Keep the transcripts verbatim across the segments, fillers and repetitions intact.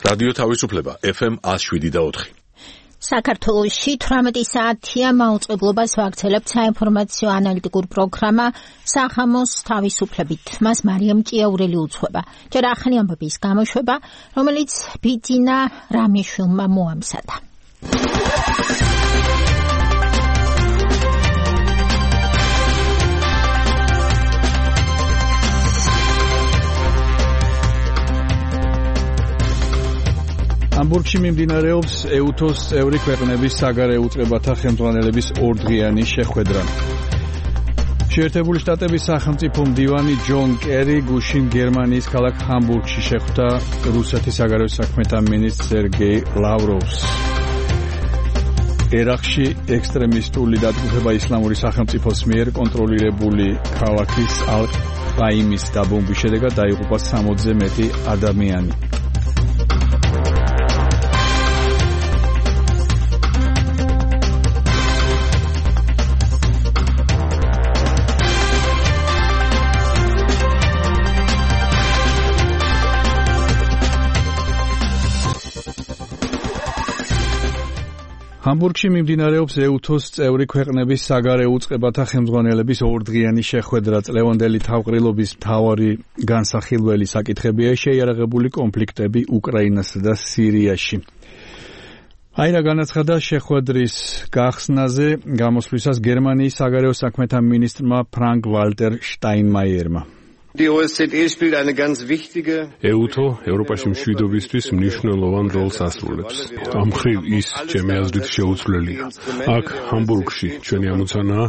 რადიო თავისუფლება ეფ ემ one oh seven point four. საქართველოში თვრამეტი საათია მაუწყებლობას ვაგრძელებთ საინფორმაციო ანალიტიკურ პროგრამა სახამოს თავისუფლებით. მას მარიამ ჭიაურელი უძღვება. ჯერ ახალი ამბების გამოშვება, რომელიც ბიძინა რამიშვილმა მოამზადა. Hamburgში მიმდინარეობს ეუთოს წევრი ქვეყნების საგარეო უწყებათა ხელმძღვანელების ორდღიანი შეხვედრა. შეერთებული შტატების სახელმწიფო მდივანი ჯონ კერი გუშინ გერმანიის ქალაქ ჰამბურგში შეხვდა რუსეთის საგარეო საქმეთა მინისტრ სერგეი ლავროვს. ერაყში ექსტრემისტული დათმობება ისლამური სახელმწიფოს მიერ კონტროლირებული ქალაქის ალ-ყაიმის დაბომბვის შედეგად დაიღუპა სამოცზე მეტი ადამიანი. Hamburgში მიმდინარეობს ეუთოს წევრი ქვეყნების საგარეო უწყებათა ხელმძღვანელების ორდღიანი შეხვედრა. წლევანდელი თავყრილობის მთავარი განსახილველი საკითხებია შეიარაღებული კონფლიქტები უკრაინასა და სირიაში. აირა განაცხადა შეხვედრის გახსნაზე გამოსვლისას გერმანიის საგარეო საქმეთა მინისტრმა ფრანკ ვალტერ შტაინმაიერმა. ეუთო ევროპაში მშვიდობისთვის მნიშვნელოვან როლს ასრულებს. ამ მხრივ ის ჩემი აზრით შეუცვლელია. აქ ჰამბურგში ჩვენი ამოცანაა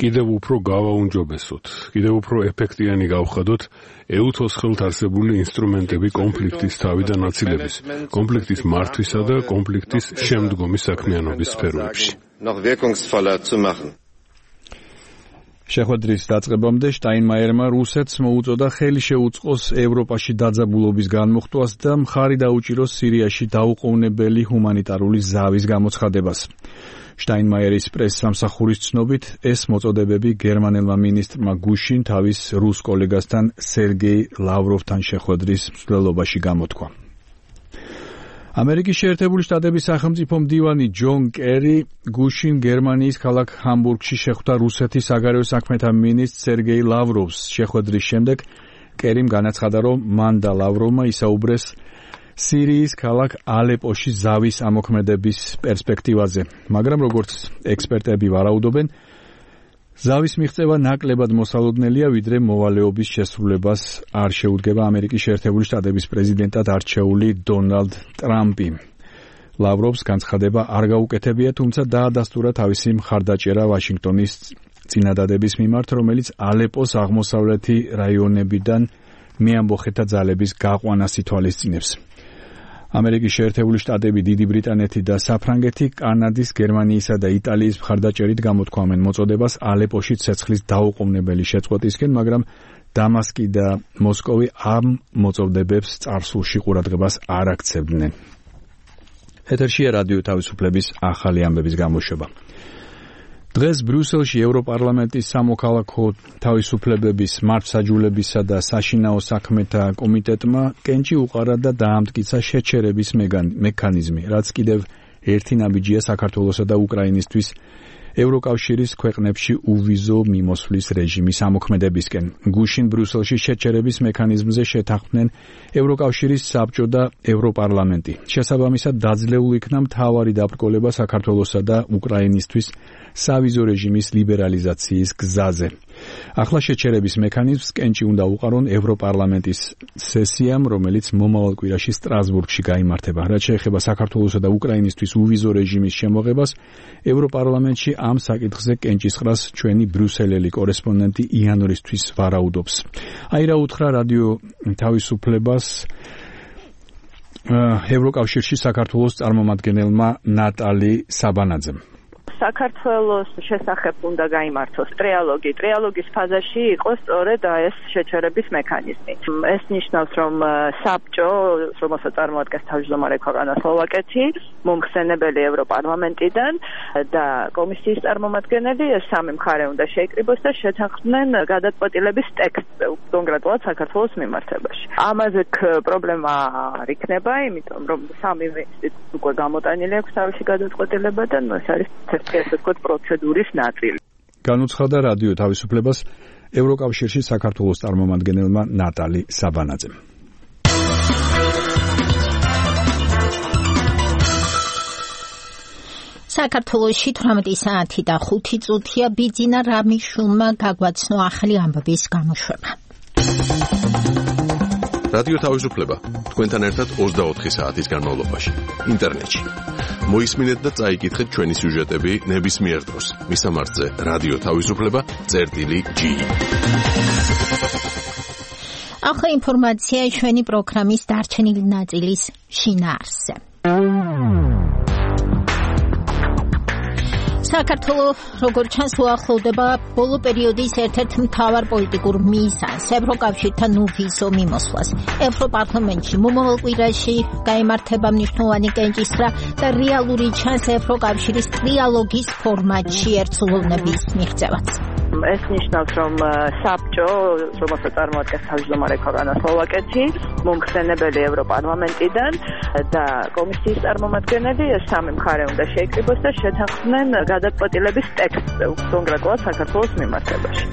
კიდევ უფრო გავაუმჯობესოთ, კიდევ უფრო ეფექტიანი გავხადოთ ეუთოს ხელთ არსებული ინსტრუმენტები კონფლიქტის თავიდან აცილების, კონფლიქტის მართვისა და კონფლიქტის შემდგომი საქმიანობის სფეროებში. შეხვედრის დაწყებამდე შტაინმაიერმა რუსეთს მოუწოდა ხელი შეუწყოს ევროპაში დაძაბულობის განმუხტვას და მხარი დაუჭიროს სირიაში დაუყოვნებელი ჰუმანიტარული ზავის გამოცხადებას. შტაინმაიერის პრესსამსახურის ცნობით, ეს მოწოდებები გერმანელმა მინისტრმა გუშინ თავის რუს კოლეგასთან სერგეი ლავროვთან შეხვედრის მსვლელობაში გამოთქვა. ამერიკის შეერთებული შტატების სახელმწიფო მდივანი ჯონ კერი გუშინ გერმანიის ქალაქ ჰამბურგში შეხვდა რუსეთის საგარეო საქმეთა მინისტრ სერგეი ლავროვს. შეხვედრის შემდეგ კერიმ განაცხადა, რომ მან და ლავროვმა ისაუბრეს სირიის ქალაქ ალეპოში ზავის ამოქმედების პერსპექტივაზე, მაგრამ როგორც ექსპერტები ვარაუდობენ, ზავის მიღწევა ნაკლებად მოსალოდნელია, ვიდრე მოვალეობის შესრულებას არ შეუდგება ამერიკის შეერთებული შტატების პრეზიდენტად არჩეული დონალდ ტრამპი. ლავროვს განცხადება არ გაუკეთებია, თუმცა დაადასტურა თავისი მხარდაჭერა ვაშინგტონის წინადადების მიმართ, რომელიც ალეპოს აღმოსავლეთი რაიონებიდან მეამბოხეთა ძალების გაყვანას ითვალისწინებს. ამერიკის შეერთებული შტატები, დიდი ბრიტანეთი და საფრანგეთი კანადის, გერმანიისა და იტალიის მხარდაჭერით გამოთქვამენ მოწოდებას ალეპოში ცეცხლის დაუყოვნებელი შეწყვეტისკენ, მაგრამ დამასკი და მოსკოვი ამ მოწოდებებს წარსულში ყურადღებას არ აქცევდნენ. ეთერშია რადიო თავისუფლების ახალი ამბების გამოშვება. დღეს ბრიუსელში ევროპარლამენტის სამოქალაქო თავისუფლებების მართლმსაჯულებისა და საშინაო საქმეთა კომიტეტმა კენჭი უყარა და დაამტკიცა შეჩერების მექანიზმი, რაც კიდევ ერთი ნაბიჯია საქართველოსა და უკრაინისთვის ევროკავშირის ქვეყნებში უვიზო მიმოსვლის რეჟიმის ამოქმედებისკენ. გუშინ ბრიუსელში შეჩერების მექანიზმზე შეთანხმდნენ ევროკავშირის საბჭო და ევროპარლამენტი. შესაბამისად დაძლეულ იქნა მთავარი დაბრკოლება საქართველოსა და უკრაინისთვის სავიზო რეჟიმის ლიბერალიზაციის გზაზე. ახლა შეჩერების მექანიზმს კენჭი უნდა უყარონ ევროპარლამენტის სესიამ, რომელიც მომავალ კვირაში სტრასბურგში გაიმართება. რაც შეეხება საქართველოსა და უკრაინისთვის უვიზო რეჟიმის შემოღებას, ევროპარლამენტში ამ საკითხზე კენჭისყრას ჩვენი ბრიუსელელი კორესპონდენტი იანვრისთვის ვარაუდობს. აირა უთხრა რადიო თავისუფლებას ევროკავშირში საქართველოს წარმომადგენელმა ნატალი საბანაძემ. საქართველოს შესახებ უნდა გაიმართოს ტრიალოგი. ტრიალოგის ფაზაში იყოს სწორედ ეს შეჩერების მექანიზმი. ეს ნიშნავს, რომ საბჭო, რომელსაც წარმოადგენს თავმჯდომარე ქვეყანა სლოვაკეთი, მომხსენებელი ევროპარლამენტიდან და კომისიის წარმომადგენელი, ეს სამი მხარე უნდა შეიკრიბოს და შეთანხმდნენ გადაწყვეტილების ტექსტზე, კონკრეტულად საქართველოს მიმართებაში. ამაზე პრობლემა არ იქნება, იმიტომ რომ სამი ინსტიტუტი უკვე გამოტანილი აქვს თავისი გადაწყვეტილება და ეს არის ერთი ასე ვთქვათ პროცედურის ნაწილი. განუცხადა რადიო თავისუფლებას ევროკავშირში საქართველოს წარმომადგენელმა ნატალი საბანაძემ. საქართველოში თვრამეტი საათი და ხუთი წუთია ბიძინა რამიშულმა გაგვაცნო ახალი ამბების გამოშვება. რადიო თავისუფლება თქვენთან ერთად ოცდაოთხი საათის განმავლობაში ინტერნეტში. მოისმინეთ და წაიკითხეთ ჩვენი სიუჟეტები ნებისმიერ დროს. მისამართზე რადიო თავისუფლება წერტილი ჯი. ახლა ინფორმაცია ჩვენი პროგრამის დარჩენილი ნაწილის შინაარსზე. საქართველოს როგორც ჩანს უახლოვდება ბოლო პერიოდის ერთ-ერთ მთავარ პოლიტიკურ მიზანს ევროკავშირთან უვიზო მიმოსვლას. ევროპარლამენტში მომავალ კვირაში გაიმართება მნიშვნელოვანი კენჭისყრა და რეალური ჩანს ევროკავშირის ტრიალოგის ფორმატში ერთსულოვნების მიღწევაც. ეს ნიშნავს, რომ საბჭო, რომელსაც წარმოადგენს თავმჯდომარე ქვეყანა სლოვაკეთი, მომხსენებელი ევროპარლამენტიდან და კომისიის წარმომადგენელი, ეს სამი მხარე უნდა შეიკრიბოს და შეთანხმდნენ გადაწყვეტილების ტექსტზე, კონკრეტულად საქართველოს მიმართებაში.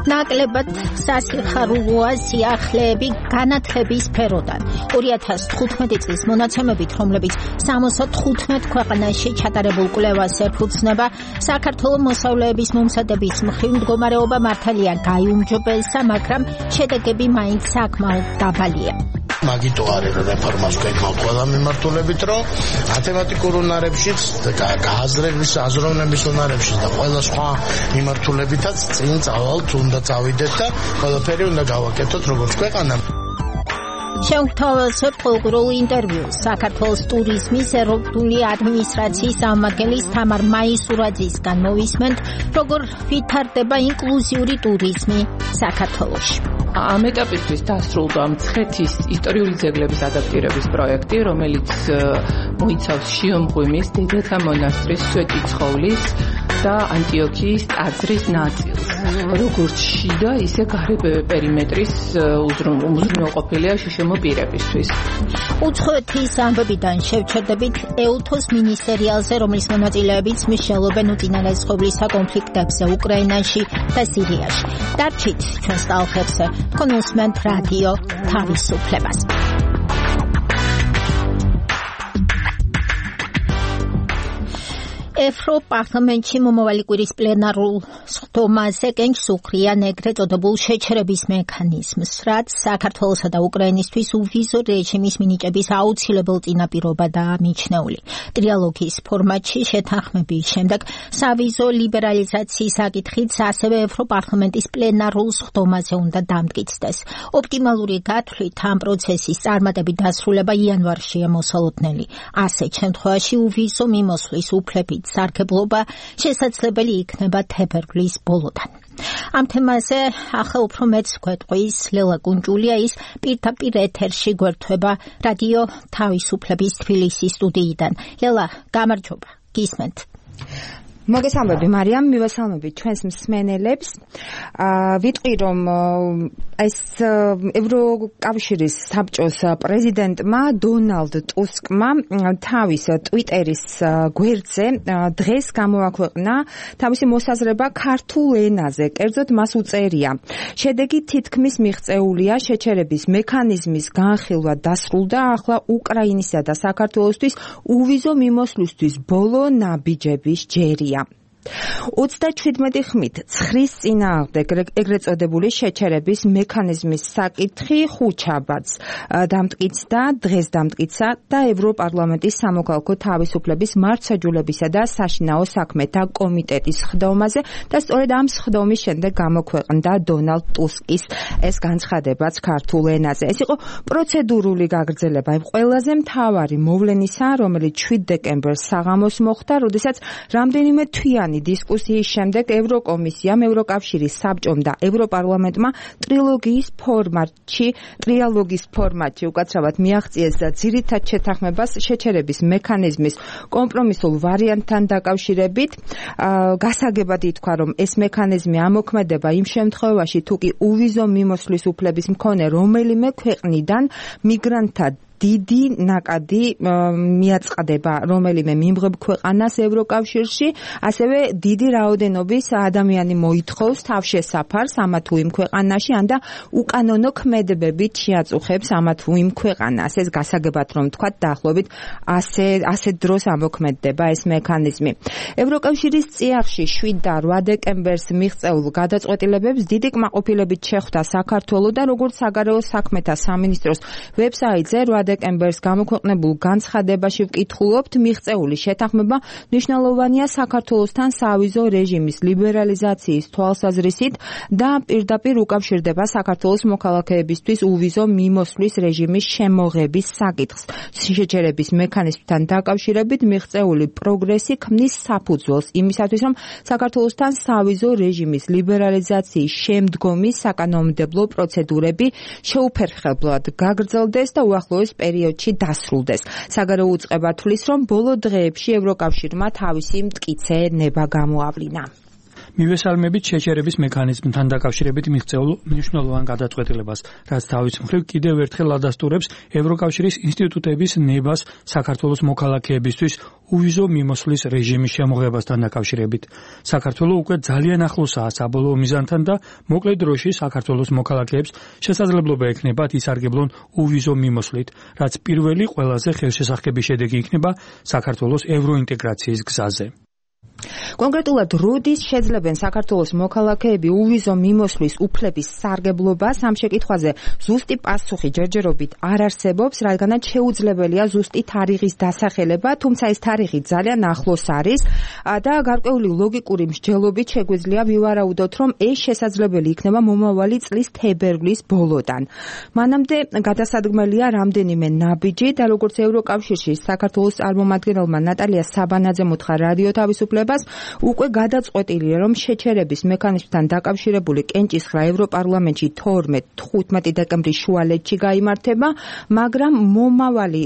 ნაკლებად სასიხარულოა სიახლეები განათლების სფეროდან. ორი ათას თხუთმეტი წლის მონაცემებით, რომლებიც სამოცდათხუთმეტ ქვეყანაში ჩატარებულ კვლევას ეფუძნება, საქართველოს მოსწავლეების მომზადების მხრივ მდგომარეობა მართალია გაიუმჯობესა, მაგრამ შედეგები მაინც საკმაოდ დაბალია. მაგიტო არის რეფორმას გვეკმავთ ყველა მიმართულებით, რომ მათემატიკურ უნარებშიც, გააზრების, აზროვნების უნარებშიც და ყველა სხვა მიმართულებითაც წინ წავალთ, უნდა წავიდეთ და ყველაფერი უნდა გავაკეთოთ როგორც ქვეყანა. შევთავაზოთ პოლიტიკურ ინტერვიუს საქართველოს ტურიზმის ეროვნული ადმინისტრაციის წარმომადგენლის თამარ მაისურაძისგან მოვისმენთ, როგორ ვითარდება ინკლუზიური ტურიზმი საქართველოში. ამ ეტაპისთვის დასრულდა მცხეთის ისტორიული ძეგლების ადაპტირების პროექტი, რომელიც მოიცავს შიომღვიმის, დედათა მონასტრის, სვეტიცხოვლის და ანტიოქიის ტაძრის ნაწილს. როგორც შიდა, ისე გარე პერიმეტრის უზრუნველყოფილია შიშემო პირებისთვის. უცხოეთის ამბებიდან შევჩერდებით ეუთოს მინისტერიალზე, რომლის მონაწილეებიც მსჯელობენ უწინარეს ხოვლისა კონფლიქტებზე უკრაინაში და სირიაში. დარჩით ჩვენს ტალღებზე, თქვენ უსმენთ რადიო თავისუფლებას. ევროპარლამენტში მომავალი კვირის პლენარულ სხდომაზე კენჭს უხდიან ეგრეთ წოდებულ შეჩერების მექანიზმს, რაც საქართველოსა და უკრაინისთვის უვიზო რეჟიმის მინიჭების აუცილებელ წინაპირობადაა მიჩნეული. ტრიალოგის ფორმატში შეთანხმების შემდეგ სავიზო ლიბერალიზაციის საკითხიც ასევე ევროპარლამენტის პლენარულ სხდომაზე უნდა დამტკიცდეს. ოპტიმალური გათვლით ამ პროცესის წარმატებით დასრულება იანვარშია მოსალოდნელი. ასეთ შემთხვევაში უვიზო მიმოსვლის უფლებით სარგებლობა შესაძლებელი იქნება თებერვლის ბოლოდან. ამ თემაზე ახლა უფრო მეც გვეტყვის ლელა კუნჭულია, ის პირდაპირ ეთერში გვერდება რადიო თავისუფლების თბილისის სტუდიიდან. ლელა, გამარჯობა, გისმენთ. მოგესალმები მარიამ, მივესალმებით ჩვენს მსმენელებს. ვიტყვი რომ ეს ევროკავშირის საბჭოს პრეზიდენტმა დონალდ ტუსკმა თავის ტვიტერის გვერდზე დღეს გამოაქვეყნა თავისი მოსაზრება ქართულ ენაზე. კერძოდ მას უწერია: შედეგი თითქმის მიღწეულია, შეჩერების მექანიზმის განხილვა დასრულდა, ახლა უკრაინისა და საქართველოსთვის უვიზო მიმოსვლისთვის ბოლო ნაბიჯების ჯერია. ოცდაჩვიდმეტი ხმით ცხრის წინააღმდეგ ეგრეთ წოდებული შეჩერების მექანიზმის საკითხი ხუთშაბათს დამტკიცდა, დღეს დამტკიცა და ევროპარლამენტის სამოქალაქო თავისუფლების მართლმსაჯულებისა და საშინაო საქმეთა კომიტეტის ხდომაზე და სწორედ ამ ხდომის შემდეგ გამოქვეყნდა დონალდ ტუსკის ეს განცხადებაც ქართულ ენაზე. ეს იყო პროცედურული გაგრძელება იმ ყველაზე მთავარი მოვლენისა, რომელიც შვიდ დეკემბერს საღამოს მოხდა, როდესაც რამდენიმე თვიანი დისკუსიის შემდეგ ევროკომისიამ, ევროკავშირის საბჭომ და ევროპარლამენტმა ტრილოგიის ფორმატში, ტრიალოგის ფორმატში უკაცრავად მიაღწიეს და ძირითად შეთანხმებას შეჩერების მექანიზმის კომპრომისულ ვარიანტთან დაკავშირებით გასაგებად ითქვა, რომ ეს მექანიზმი ამოქმედება იმ შემთხვევაში, თუ კი უვიზო მიმოსვლის უფლების მქონე რომელიმე ქვეყნიდან მიგრანტთა დიდი ნაკადი მიაწყდება რომელიმე მიმღებ ქვეყანას ევროკავშირში, ასევე დიდი რაოდენობის ადამიანი მოითხოვს თავშესაფარს ამა თუ იმ ქვეყანაში, ან და უკანონო ქმედებებით შეაწუხებს ამა თუ იმ ქვეყანას. ეს გასაგებად რომ თქვა, დაახლოებით ასე ასე დროს ამოქმედდება ეს მექანიზმი. ევროკავშირის წიაღში შვიდ და რვა დეკემბერს მიღწეულ გადაწყვეტილებებს დიდი კმაყოფილებით შეხვდა საქართველო და როგორც საგარეო საქმეთა სამინისტროს ვებსაიტზე რვა დეკემბერს გამოქვეყნებულ განცხადებაში ვკითხულობთ, მიღწეული შეთანხმება მნიშვნელოვანია საქართველოსთან სავიზო რეჟიმის ლიბერალიზაციის თვალსაზრისით და პირდაპირ უკავშირდება საქართველოს მოქალაქეებისთვის უვიზო მიმოსვლის რეჟიმის შემოღების საკითხს. შეჩერების მექანიზმთან დაკავშირებით მიღწეული პროგრესი ქმნის საფუძველს იმისათვის, რომ საქართველოსთან სავიზო რეჟიმის ლიბერალიზაციის შემდგომი საკანონმდებლო პროცედურები შეუფერხებლად გაგრძელდეს და უახლოეს პერიოდში დასრულდეს. საგარეო უწყება თვლის, რომ ბოლო დღეებში ევროკავშირმა თავისი მტკიცე ნება გამოავლინა. მივესალმებით შეჩერების მექანიზმთან დაკავშირებით მიღწეულ მნიშვნელოვან გადაწყვეტილებას, რაც თავის მხრივ კიდევ ერთხელ ადასტურებს ევროკავშირის ინსტიტუტების ნებას საქართველოს მოქალაქეებისთვის უვიზო მიმოსვლის რეჟიმის შემოღებასთან დაკავშირებით. საქართველო უკვე ძალიან ახლოსაა საბოლოო მიზანთან და მოკლე დროში საქართველოს მოქალაქეებს შესაძლებლობა ექნებათ ისარგებლონ უვიზო მიმოსვლით, რაც პირველი ყველაზე ხელშესახები შედეგი იქნება საქართველოს ევროინტეგრაციის გზაზე. კონკრეტულად როდის შეძლებენ საქართველოს მოქალაქეები უვიზო მიმოსვლის უფლების სარგებლობას, ამ შეკითხვაზე ზუსტი პასუხი ჯერჯერობით არ არსებობს, რადგანაც შეუძლებელია ზუსტი თარიღის დასახელება, თუმცა ეს თარიღი ძალიან ახლოს არის და გარკვეული ლოგიკური მსჯელობით შეგვიძლია ვივარაუდოთ, რომ ეს შესაძლებელი იქნება მომავალი წლის თებერვლის ბოლოდან. მანამდე გადასადგმელია რამდენიმე ნაბიჯი და როგორც ევროკავშირში საქართველოს წარმომადგენელმა ნატალია საბანაძემ უთხრა რადიო თავისუფლებას, უკვე გადაწყვეტილია, რომ შეჩერების მექანიზმთან დაკავშირებული კენჭისყრა ევროპარლამენტში თორმეტ-თხუთმეტი დეკემბრის შუალედში გაიმართება, მაგრამ მომავალი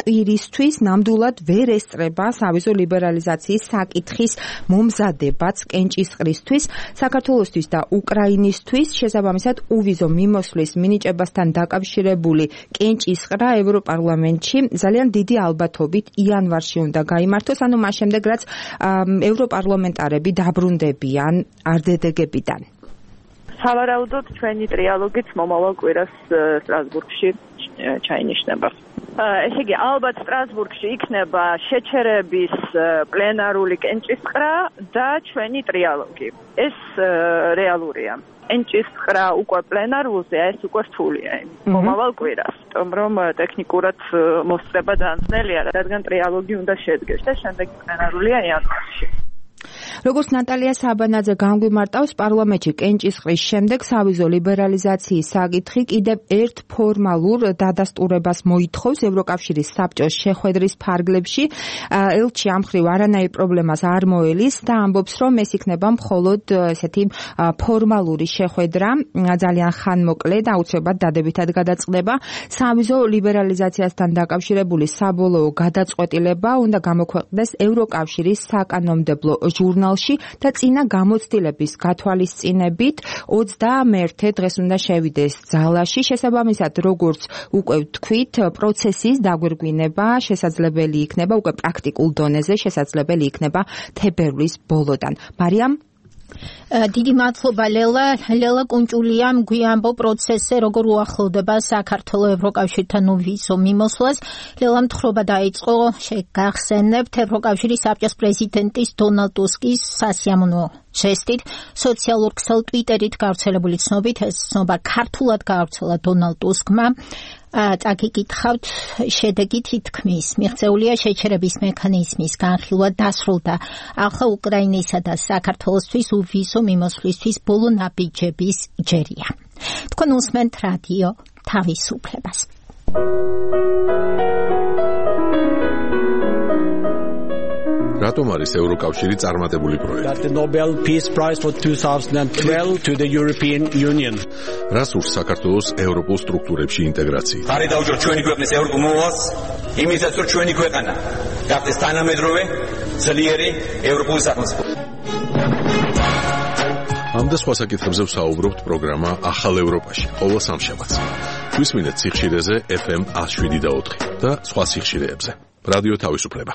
კვირისთვის ნამდვილად ვერ ესწრება სავიზო ლიბერალიზაციის საკითხის მომზადებაც კენჭისყრისთვის. საქართველოსთვის და უკრაინისთვის შესაბამისად უვიზო მიმოსვლის მინიჭებასთან დაკავშირებული კენჭისყრა ევროპარლამენტში ძალიან დიდი ალბათობით იანვარში უნდა გაიმართოს, ანუ მას შემდეგ რაც ევროპარლამენტარები დაბრუნდებიან არდედეგებიდან. სავარაუდოდ ჩვენი ტრიალოგიც მომავალ კვირას სტრასბურგში ჩაინიშნება. ესე იგი, ალბათ სტრასბურგში იქნება შეჩერების პლენარული კენჭისყრა და ჩვენი ტრიალოგი. ეს რეალურია. კენჭისყრა უკვე პლენარულზე, ეს უკვე რთულია მომავალ კვირას. რომ ტექნიკურად მოსწრება დაანწნელია, რადგან ტრიალოგი უნდა შედგეს და შემდეგ პლენარულია იანვარში. როგორც ნატალია საბანაძე განგვიმარტავს, პარლამენტში კენჭისყრის შემდეგ სავიზო ლიბერალიზაციის საკითხი კიდევ ერთ ფორმალურ დადასტურებას მოითხოვს ევროკავშირის საბჭოს შეხვედრის ფარგლებში. ელჩი ამ მხრივ არანაირ პრობლემას არ მოელის და ამბობს, რომ ეს იქნება მხოლოდ ესეთი ფორმალური შეხვედრა, ძალიან ხანმოკლე და აუცილებლად დადებითად გადაწყდება. სავიზო ლიბერალიზაციასთან დაკავშირებული საბოლოო გადაწყვეტილება უნდა გამოქვეყნდეს ევროკავშირის საკანონმდებლო ჟურნალში და წინა გამოცდილების გათვალისწინებით ოცდამეერთე დღეს უნდა შევიდეს ძალაში. შესაბამისად, როგორც უკვე ვთქვით, პროცესის დაგვირგვინება შესაძლებელი იქნება უკვე პრაქტიკულ დონეზე, შესაძლებელი იქნება თებერვლის ბოლოდან. მარიამ დიდი მადლობა ლელა. ლელა კუნჭულიამ გვიამბო პროცესზე როგორ უახლოვდება საქართველოს ევროკავშირთან ვიზო მიმოსვლას. ლელამ თხრობა დაიწყო, შეგახსენებთ, ევროკავშირის საბჭოს პრეზიდენტის დონალდ ტუსკის სასიამოვნო ჟესტით სოციალურ ქსელ ტვიტერით გავრცელებული ცნობით, ეს ცნობა ქართულად გავრცელა დონალდ ტუსკმა. წაგიკითხავთ, შედეგი თითქმის მიღწეულია შეჩერების მექანიზმის განხილვა დასრულდა. ახლა უკრაინისა და საქართველოსთვის uvizო მიმოსვლისთვის ბოლო ნაბიჯების ჯერია. თქვენ უსმენთ რადიო თავისუფლებას. რატომ არის ევროკავშირი წარმატებული პროექტი? The Nobel Peace Prize for twenty twelve to the European Union. რას ურს საქართველოს ევროპულ სტრუქტურებში ინტეგრაცია? ხარი დაუჭროთ ჩვენი ქვეყნის ევროპულ მოვალს, იმისაც რომ ჩვენი ქვეყანა გახდეს თანამედროვე, ძლიერი ევროპული სახელმწიფო. ამ და სხვა საკითხებზე ვსაუბრობთ პროგრამა ახალ ევროპაში, ყოველ სამშაბათს. გვისმინეთ სიხშირეზე ეფ ემ one oh seven და ოთხი და სხვა სიხშირეებზე. რადიო თავისუფლება.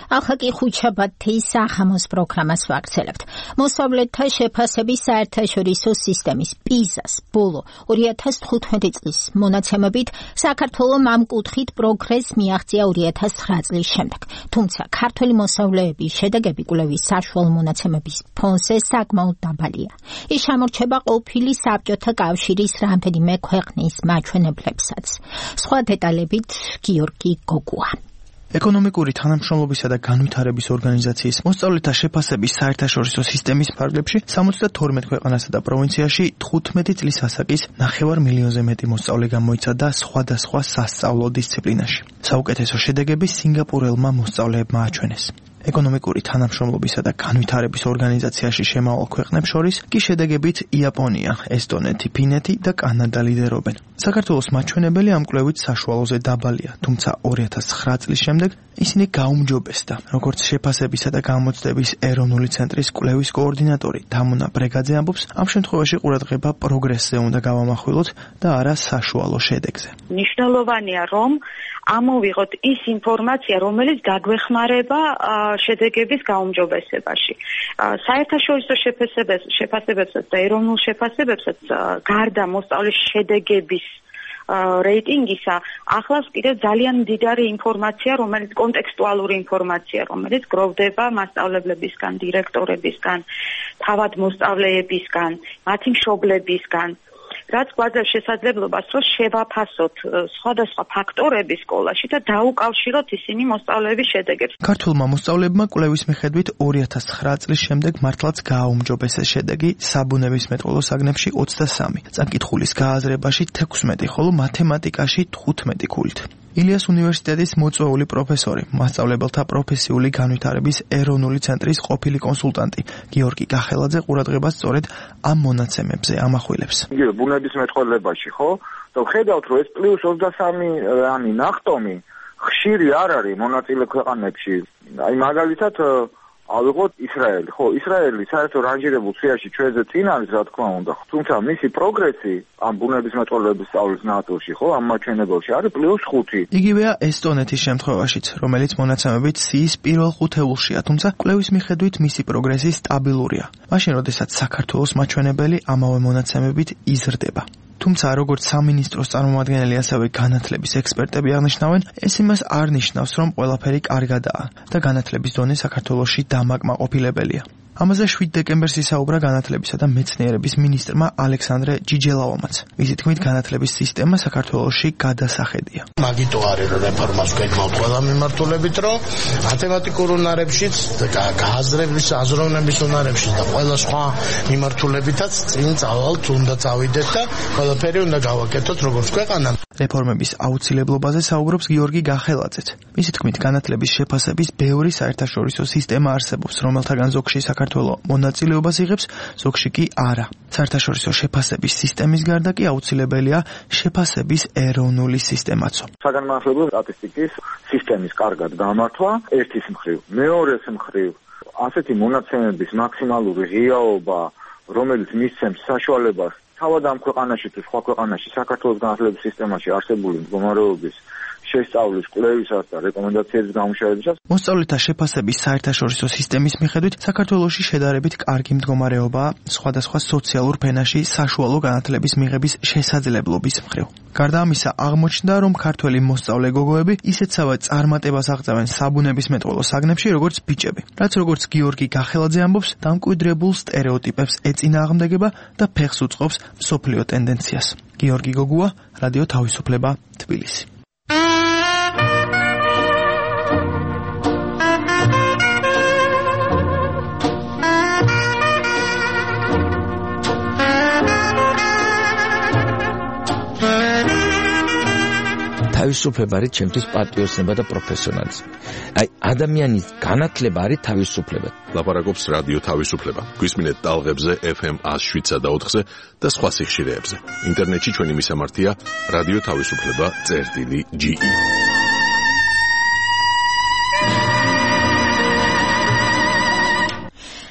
ახლა კი ხუთშაბათის სახამოს პროგრამას ვაგრძელებთ. მოსწავლეთა შეფასების საერთაშორისო სისტემის პიზას ბოლო ორი ათას თხუთმეტი წლის მონაცემებით საქართველომ ამ კუთხით პროგრესს მიაღწია ორი ათას ცხრა წლის შემდეგ. თუმცა ქართველი მოსწავლეების შედეგები კვლევის საშუალო მონაცემების ფონზე საკმაოდ დაბალია. ის შემორჩება ყოფილი საბჭოთა კავშირის რამდენიმე ქვეყნის მაჩვენებლებსაც. სხვა დეტალებით გიორგი გოგუა. ეკონომიკური თანამშრომლობისა და განვითარების ორგანიზაციის მოსწავლეთა შეფასების საერთაშორისო სისტემის ფარგლებში სამოცდათორმეტ ქვეყანასა და პროვინციაში თხუთმეტი წლის ასაკის ნახევარ მილიონზე მეტი მოსწავლე გამოიცადა სხვადასხვა სასწავლო დისციპლინაში. საუკეთესო შედეგები სინგაპურელმა მოსწავლეებმა აჩვენეს. ეკონომიკური თანამშრომლობისა და განვითარების ორგანიზაციაში შემავალ ქვეყნებს შორის კი შედეგებით იაპონია, ესტონეთი, ფინეთი და კანადა ლიდერობენ. საქართველოს მაჩვენებელი ამ კვლევით საშუალოზე დაბალია, თუმცა ორი ათას ცხრა წლის შემდეგ ისინი გაუმჯობესდა, როგორც შეფასებისა და გამოცდების ეროვნული ცენტრის კვლევის კოორდინატორი დამონა ბრეგაძე ამბობს, ამ შემთხვევაში ყურადღება პროგრესზე უნდა გავამახვილოთ და არა საშუალო შედეგზე. მნიშვნელოვანია, რომ ამოვიღოთ ის ინფორმაცია, რომელიც გაგვეხმარება შედეგების გაუმჯობესებაში. საერთაშორისო შეფასებებსაც და ეროვნულ შეფასებებსაც გარდა მოსწავლის შედეგების რეიტინგისა ახლავს კიდევ ძალიან მდიდარი ინფორმაცია, რომელიც კონტექსტუალური ინფორმაცია, რომელიც გროვდება მასწავლებლებისგან, დირექტორებისგან, თავად მოსწავლეებისგან, მათი მშობლებისგან. რაც გვაძლევს შესაძლებლობას, რომ შევაფასოთ სხვადასხვა ფაქტორები სკოლაში და დაუკავშიროთ ისინი მოსწავლეების შედეგებს. ქართულმა მოსწავლეებმა კვლევის მიხედვით ორი ათას ცხრა წლის შემდეგ მართლაც გააუმჯობესეს შედეგი საბუნებისმეტყველო საგნებში ოცდასამი, წამკითხულის გააზრებაში თექვსმეტი, ხოლო მათემატიკაში თხუთმეტი ქულით. ილიას უნივერსიტეტის მოწვეული პროფესორი, მასწავლებელთა პროფესიული განვითარების ეროვნული ცენტრის ყოფილი კონსულტანტი გიორგი გახელაძე ყურადღებას სწორედ ამ მონაცემებზე ამახვილებს. ბუნებისმეტყველებაში, ხო? და ხედავთ, რომ ეს პლუს ოცდასამი ანი ნახტომი ხშირი არ არის მონაწილე ქვეყანებში. აი მაგალითად ავიღოთ ისრაელი, ხო, ისრაელი საერთო რანჟირებულ სიაში ჩვენზე წინ არის, რა თქმა უნდა, თუმცა მისი პროგრესი ამ ბუნებისმეტყველების სწავლის ნაწილში, ხო, ამ მაჩვენებელში არის პლუს ხუთი. იგივეა ესტონეთის შემთხვევაშიც, რომელიც მონაცემებით სიის პირველ ხუთეულშია, თუმცა კვლევის მიხედვით მისი პროგრესი სტაბილურია. მაშინ, როდესაც საქართველოს მაჩვენებელი ამავე მონაცემებით იზრდება. თუმცა როგორც სამინისტროს წარმომადგენელი, ასევე განათლების ექსპერტები აღნიშნავენ, ეს იმას არ ნიშნავს, რომ ყველაფერი კარგადაა და განათლების დონე საქართველოში დამაკმაყოფილებელია. ამაზე შვიდ დეკემბერს ისაუბრა განათლებისა და მეცნიერების მინისტრმა ალექსანდრე ჯიჯელაომაც. მისი თქმით, განათლების სისტემა საქართველოში გადასახედია. მაგიტო არის რომ რეფორმას გეკმავთ ყველა მიმართულებით, რომ მათემატიკურ უნარებშიც, გააზრების, აზროვნების უნარებშიც და ყველა სხვა მიმართულებითაც წინ წავალთ, უნდა წავიდეთ და ყველაფერი უნდა გავაკეთოთ როგორც ქვეყანა. რეფორმების აუცილებლობაზე საუბრობს გიორგი გახელაძეც. მისი თქმით, განათლების შეფასების ბევრი საერთაშორისო სისტემა არსებობს, რომელთაგან ზოგში საქართველოს მონაწილეობას იღებს, ზოგში კი არა. საერთაშორისო შეფასების სისტემის გარდა კი აუცილებელია შეფასების ეროვნული სისტემაცო. საგანმანათლებლო სტატისტიკის სისტემის კარგად გამართვა ერთის მხრივ, მეორეს მხრივ, ასეთი მონაცემების მაქსიმალური ღიაობა, რომელიც მისცემს საშუალებას თავად ამ ქვეყანაში თუ სხვა ქვეყანაში საქართველოს განათლების სისტემაში არსებული მდგომარეობის შესწავლის კვლევისას და რეკომენდაციების გამუშავებისას. მოსწავლეთა შეფასების საერთაშორისო სისტემის მიხედვით საქართველოში შედარებით კარგი მდგომარეობაა სხვადასხვა სოციალურ ფენაში საშუალო განათლების მიღების შესაძლებლობის მხრივ. გარდა ამისა, აღმოჩნდა, რომ ქართველი მოსწავლე გოგოები ისეთსავე წარმატებას აღწევენ საბუნებისმეტყველო საგნებში, როგორც ბიჭები. რაც როგორც გიორგი გახელაძე ამბობს, დამკვიდრებულ სტერეოტიპებს ეწინააღმდეგება და ფეხს უწყობს მსოფლიო ტენდენციას. გიორგი გოგუა, რადიო თავისუფლება, თბილისი. თავისუფლება არის ჩემთვის პატრიოტიზმი და პროფესიონალიზმი. აი, ადამიანის განათლება არის თავისუფლება. ლაპარაკობს რადიო თავისუფლება. გვისმინეთ ტალღებზე ეფ ემ one oh seven და ოთხზე და სხვა სიხშირეებზე. ინტერნეტში ჩვენი მისამართია რადიო თავისუფლება წერტილი ჯი ი.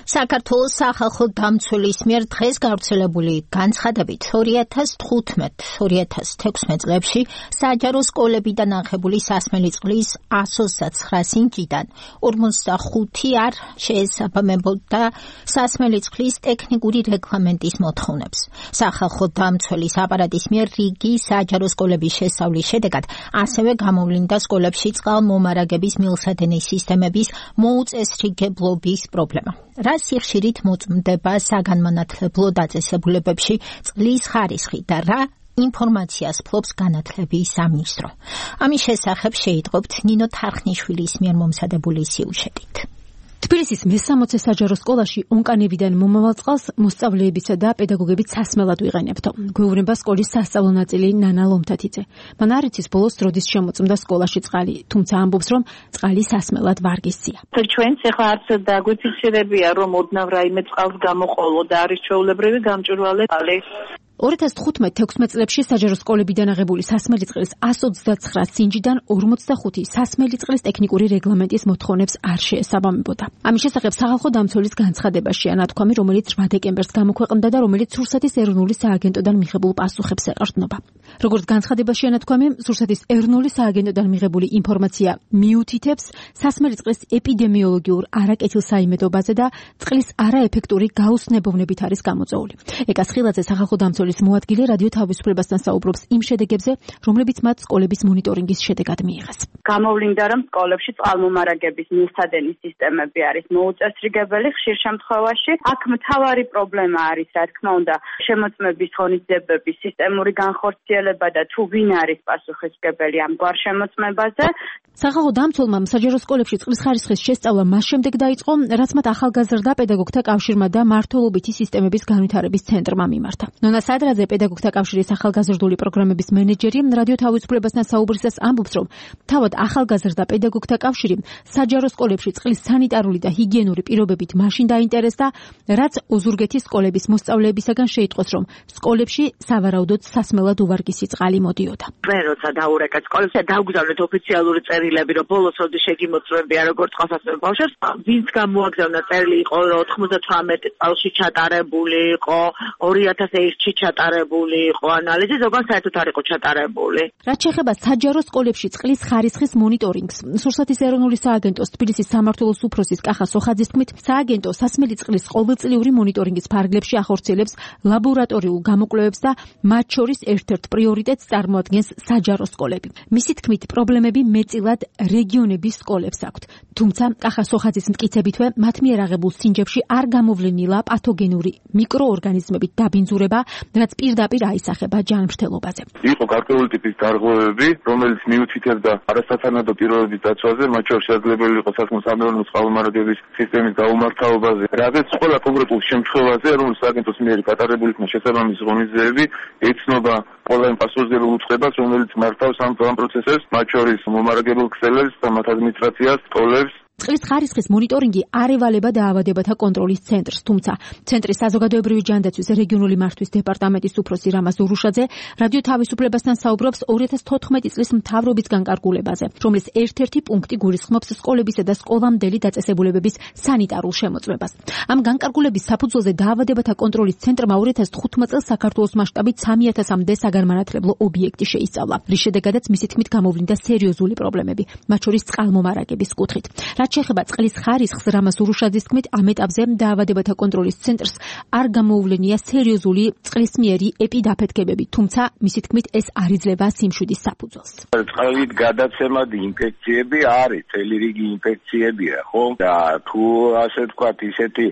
საქართველოს სახალხო დამცველის მიერ დღეს გავრცელებული განცხადებით ორი ათას თხუთმეტ ორი ათას თექვსმეტ წლებში საჯარო სკოლებიდან აღებული სასმელი წყლის one oh nine სინჯიდან ორმოცდახუთი არ შეესაბამებოდა სასმელი წყლის ტექნიკური რეგლამენტის მოთხოვნებს. სახალხო დამცველის აპარატის მიერ რიგი საჯარო სკოლების შესწავლის შედეგად ასევე გამოვლინდა სკოლებში წყალმომარაგების მილსადენის სისტემების მოუწესრიგებლობის პრობლემა. რა სიხშირით მოწმდება საგანმანათლებლო დაწესებულებებში წყლის ხარისხი და რა ინფორმაციას ფლობს განათლების სამინისტრო. ამის შესახებ შეიტყობთ ნინო თარხნიშვილის მიერ მომზადებული სიუჟეტით. თბილისის მესამოცე საჯარო სკოლაში ონკანებიდან მომავალ წყალს მოსწავლეებისა და პედაგოგებით სასმელად ვიყენებთო. გვეუბნება სკოლის სასწავლო ნაწილი ნანა ლომთათიძე. მან არ იცის ბოლოს დროდის შემოწმდა სკოლაში წყალი, თუმცა ამბობს, რომ წყალი სასმელად ვარგისია. ჩვენც ახლა არც დაგვიფიქსირებია, რომ ოდნავ რაიმე წყალს გამოყოლო და არის ჩვეულებრივი გამჭვირვალე წყალი. ორი ათას თხუთმეტ თექვსმეტ წლებში საჯარო სკოლებიდან აღებული სასმელი წყლის one oh twenty-nine სინჯიდან ორმოცდახუთი სასმელი წყლის ტექნიკური რეგლამენტის მოთხოვნებს არ შეესაბამებოდა. ამის შესახებ სახალხო დამცველის განცხადებაშია ნათქვამი, რომელიც რვა დეკემბერს გამოქვეყნდა და რომელიც სურსათის ეროვნული სააგენტოდან მიღებულ პასუხებს ეყრდნობა. როგორც განცხადებაშია ნათქვამი, სურსათის ეროვნული სააგენტოდან მიღებული ინფორმაცია მიუთითებს სასმელი წყლის ეპიდემიოლოგიურ არაკეთილსაიმედოობაზე და წყლის არაეფექტური გაუცნებოვნებით არის გამოწვეული. ეკას ხილაძე სახალხო დამცველის მოადგილე რადიო თავისუფლებასთან საუბრობს იმ შედეგებზე, რომლებიც მათ სკოლების მონიტორინგის შედეგად მიიღეს. გამოვლინდა, რომ სკოლებში წყალმომარაგების მილსადენის სისტემები არის მოუწესრიგებელი ხშირ შემთხვევაში. აქ მთავარი პრობლემა არის, რა თქმა უნდა, შემოწმების ღონისძიებების სისტემური განხორციელება და თუ ვინ არის პასუხისმგებელი ამ გვარ შემოწმებაზე. სახალხო დამცველმა საჯარო სკოლებში წყლის ხარისხის შესწავლა მას შემდეგ დაიწყო, რაც მათ ახალგაზრდა პედაგოგთა კავშირმა და მართლობითი სისტემების განვითარების ცენტრმა მიმართა. ნონა სადრაძე პედაგოგთა კავშირის ახალგაზრდული პროგრამების მენეჯერი რადიო თავისუფლებასთან საუბრისას ამბობს, რომ თავად ახალგაზრდა პედაგოგთა კავშირი საჯარო სკოლებში წყლის სანიტარული და ჰიგიენური პირობებით მაშინ დაინტერესდა, რაც ოზურგეთის სკოლების მოსწავლეებისაგან შეიტყოს, რომ სკოლებში სავარაუდოდ სასმელად უვარგისი წყალი მოდიოდა. მე როცა დაურეკეთ სკოლებს და დავგზავნეთ ოფიციალური წერილები, რომ ბოლოს როდის შეგიმოწმებია როგორ წყალსაცმელ ბავშვებს, ვინც გამოაგზავნა წერილი იყო, რომ ოთხმოცდათვრამეტი წელში ჩატარებული იყო, ორი ათას ერთში ჩატარებული იყო ანალიზი, ზოგან საერთოდ არ იყო ჩატარებული. რაც შეეხება საჯარო სკოლებში წყლის ხარისხის მონიტორინგს, სურსათის ეროვნული სააგენტოს თბილისის სამმართველოს უფროსის კახა სოხაძის თქმით, სააგენტო სასმელი წყლის ყოველწლიური მონიტორინგის ფარგლებში ახორციელებს ლაბორატორიულ გამოკვლევებს და მათ შორის ერთ-ერთ პრიორიტეტს წარმოადგენს საჯარო სკოლები. მისი თქმით, პრობლემები მეტწილად რეგიონების სკოლებს აქვთ. თუმცა კახა სოხაძის მტკიცებითვე, მათ მიერ აღებულ სინჯებში არ გამოვლენილა პათოგენური მიკროორგანიზმებით დაბინძურება, რაც პირდაპირ აისახება ჯანმრთელობაზე. იყო გარკვეული ტიპის დარღვევები, რომელიც მიუთითებდა არასათანადო პირობების დაცვაზე, მათ შორის შესაძლებელი იყო სასამართლო წყალმომარაგების სისტემის გაუმართავობაზე. რადგან ყველა კონკრეტულ შემთხვევაზე, რომელიც სააგენტოს მიერ გატარებული იქნა შესაბამისი ღონისძიებები, ეცნობა ყველა იმ პასუხისმგებელ უწყებას, რომელიც მართავს ამ პროცესებს, მათ შორის მომარაგებელ ქსელებს და მათ ადმინისტრაციას, სკოლებს წყლის ხარისხის მონიტორინგი არ ევალება დაავადებათა კონტროლის ცენტრს, თუმცა ცენტრის საზოგადოებრივი ჯანდაცვის რეგიონული მართვის დეპარტამენტის უფროსი რამაზ ურუშაძე რადიო თავისუფლებასთან საუბრობს ორი ათას თოთხმეტი წლის მთავრობის განკარგულებაზე, რომლის ერთ-ერთი პუნქტი გულისხმობს სკოლებისა და სკოლამდელი დაწესებულებების სანიტარულ შემოწმებას. ამ განკარგულების საფუძველზე დაავადებათა კონტროლის ცენტრმა ორი ათას თხუთმეტ წელს საქართველოს მასშტაბით სამი ათასამდე საგანმანათლებლო ობიექტი შეისწავლა, რის შედეგადაც მისი თქმით გამოვლინდა სერიოზული პრობლემები, მათ შორის წყალმომარაგების კუთხით. რაც შეეხება წყლის ხარისხს, რამაზ ურუშაძის თქმით, ამ ეტაპზე დაავადებათა კონტროლის ცენტრს არ გამოუვლენია სერიოზული წყლისმიერი ეპიდაფეთქებები, თუმცა მისი თქმით ეს არ იძლევა სიმშვიდის საფუძველს. წყლით გადაცემადი ინფექციები არის, წელი რიგი ინფექციებია, ხო? და თუ ასე ვთქვათ, ისეთი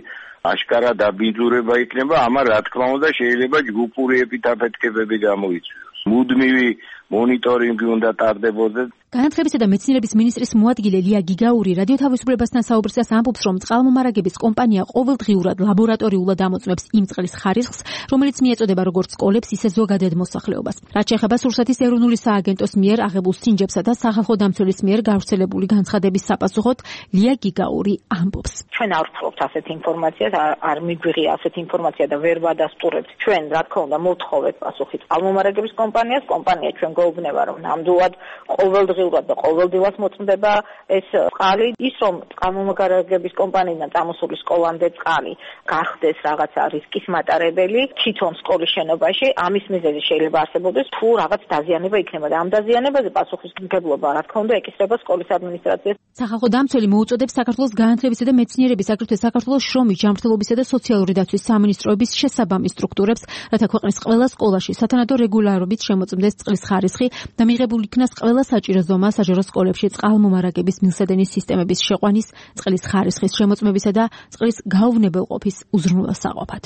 აშკარა დაბინძურება იქნება, ამან რა თქმა უნდა შეიძლება ჯგუფური ეპიდაფეთქებები გამოიწვიოს. მუდმივი მონიტორინგი უნდა ტარდებოდეს. განათლებისა და მეცნიერების მინისტრის მოადგილე ლია გიგაური რადიო თავისუფლებასთან საუბრისას ამბობს, რომ წყალმომარაგების კომპანია ყოველდღიურად ლაბორატორიულად ამოწმებს იმ წყლის ხარისხს, რომელიც მიეწოდება როგორც სკოლებს, ისე ზოგადად მოსახლეობას. რაც შეეხება სურსათის ეროვნული სააგენტოს მიერ აღებულ სინჯებსა და სახალხო დამცველის მიერ გავრცელებული განცხადების საპასუხოდ, ლია გიგაური ამბობს. ჩვენ არ ვცხოვთ ასეთ ინფორმაციას, არ მიგვიღია ასეთ ინფორმაცია და ვერ ვადასტურებთ. ჩვენ, რა თქმა უნდა, მოვთხოვეთ პასუხი წყალმომარაგების კომპანიას, კომპანია ჩვენ გვეუბნება, რომ ნამდვილად ყოველდღიურად და ყოველდღიურად მოწმდება ეს წყალი, ის რომ წყალმომარაგების კომპანიიდან წამოსული სკოლამდე წყალი გახდეს რაღაცა რისკის მატარებელი თვითონ სკოლის შენობაში, ამის მიზეზი შეიძლება არსებობდეს, თუ რაღაც დაზიანება იქნება და ამ დაზიანებაზე პასუხისმგებლობა, რა თქმა უნდა, ეკისრება სკოლის ადმინისტრაციას. სახალხო დამცველი მოუწოდებს საქართველოს განათლებისა და მეცნიერების, აგრეთვე საქართველოს შრომის, ჯანმრთელობისა და სოციალური დაცვის სამინისტროების შესაბამის სტრუქტურებს, რათა ქვეყნის ყველა სკოლაში სათანადო რეგულარობით შემოწმდეს წყლის ხარისხი და მიღებულ იქნას ყველა საჭირო ზომა საჯარო სკოლებში წყალმომარაგების მილსადენის სისტემების შეყვანის, წყლის ხარისხის შემოწმებისა და წყლის გაუვნებელყოფის უზრუნველსაყოფად.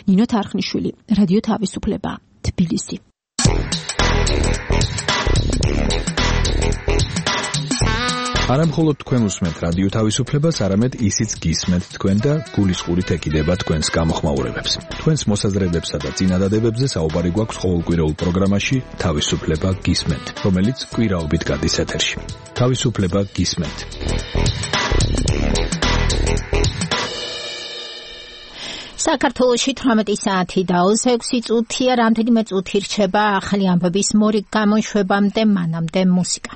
ნინო თარხნიშვილი, რადიო თავისუფლება, თბილისი. არა მხოლოდ თქვენ უსმენთ რადიო თავისუფლებას, არამედ ისიც გისმენთ თქვენ და გულისყურით ეკიდება თქვენს გამოხმაურებებს. თქვენს მოსაზრებებსა და წინადადებებზე საუბარი გვაქვს ყოველკვირეულ პროგრამაში თავისუფლება გისმენთ, რომელიც კვირაობით გადის ეთერში. თავისუფლება გისმენთ. საქართველოში თვრამეტი საათი და ექვსი წუთია, რამდენიმე წუთი რჩება ახალი ამბების მორიგ გამოშვებამდე, მანამდე მუსიკა.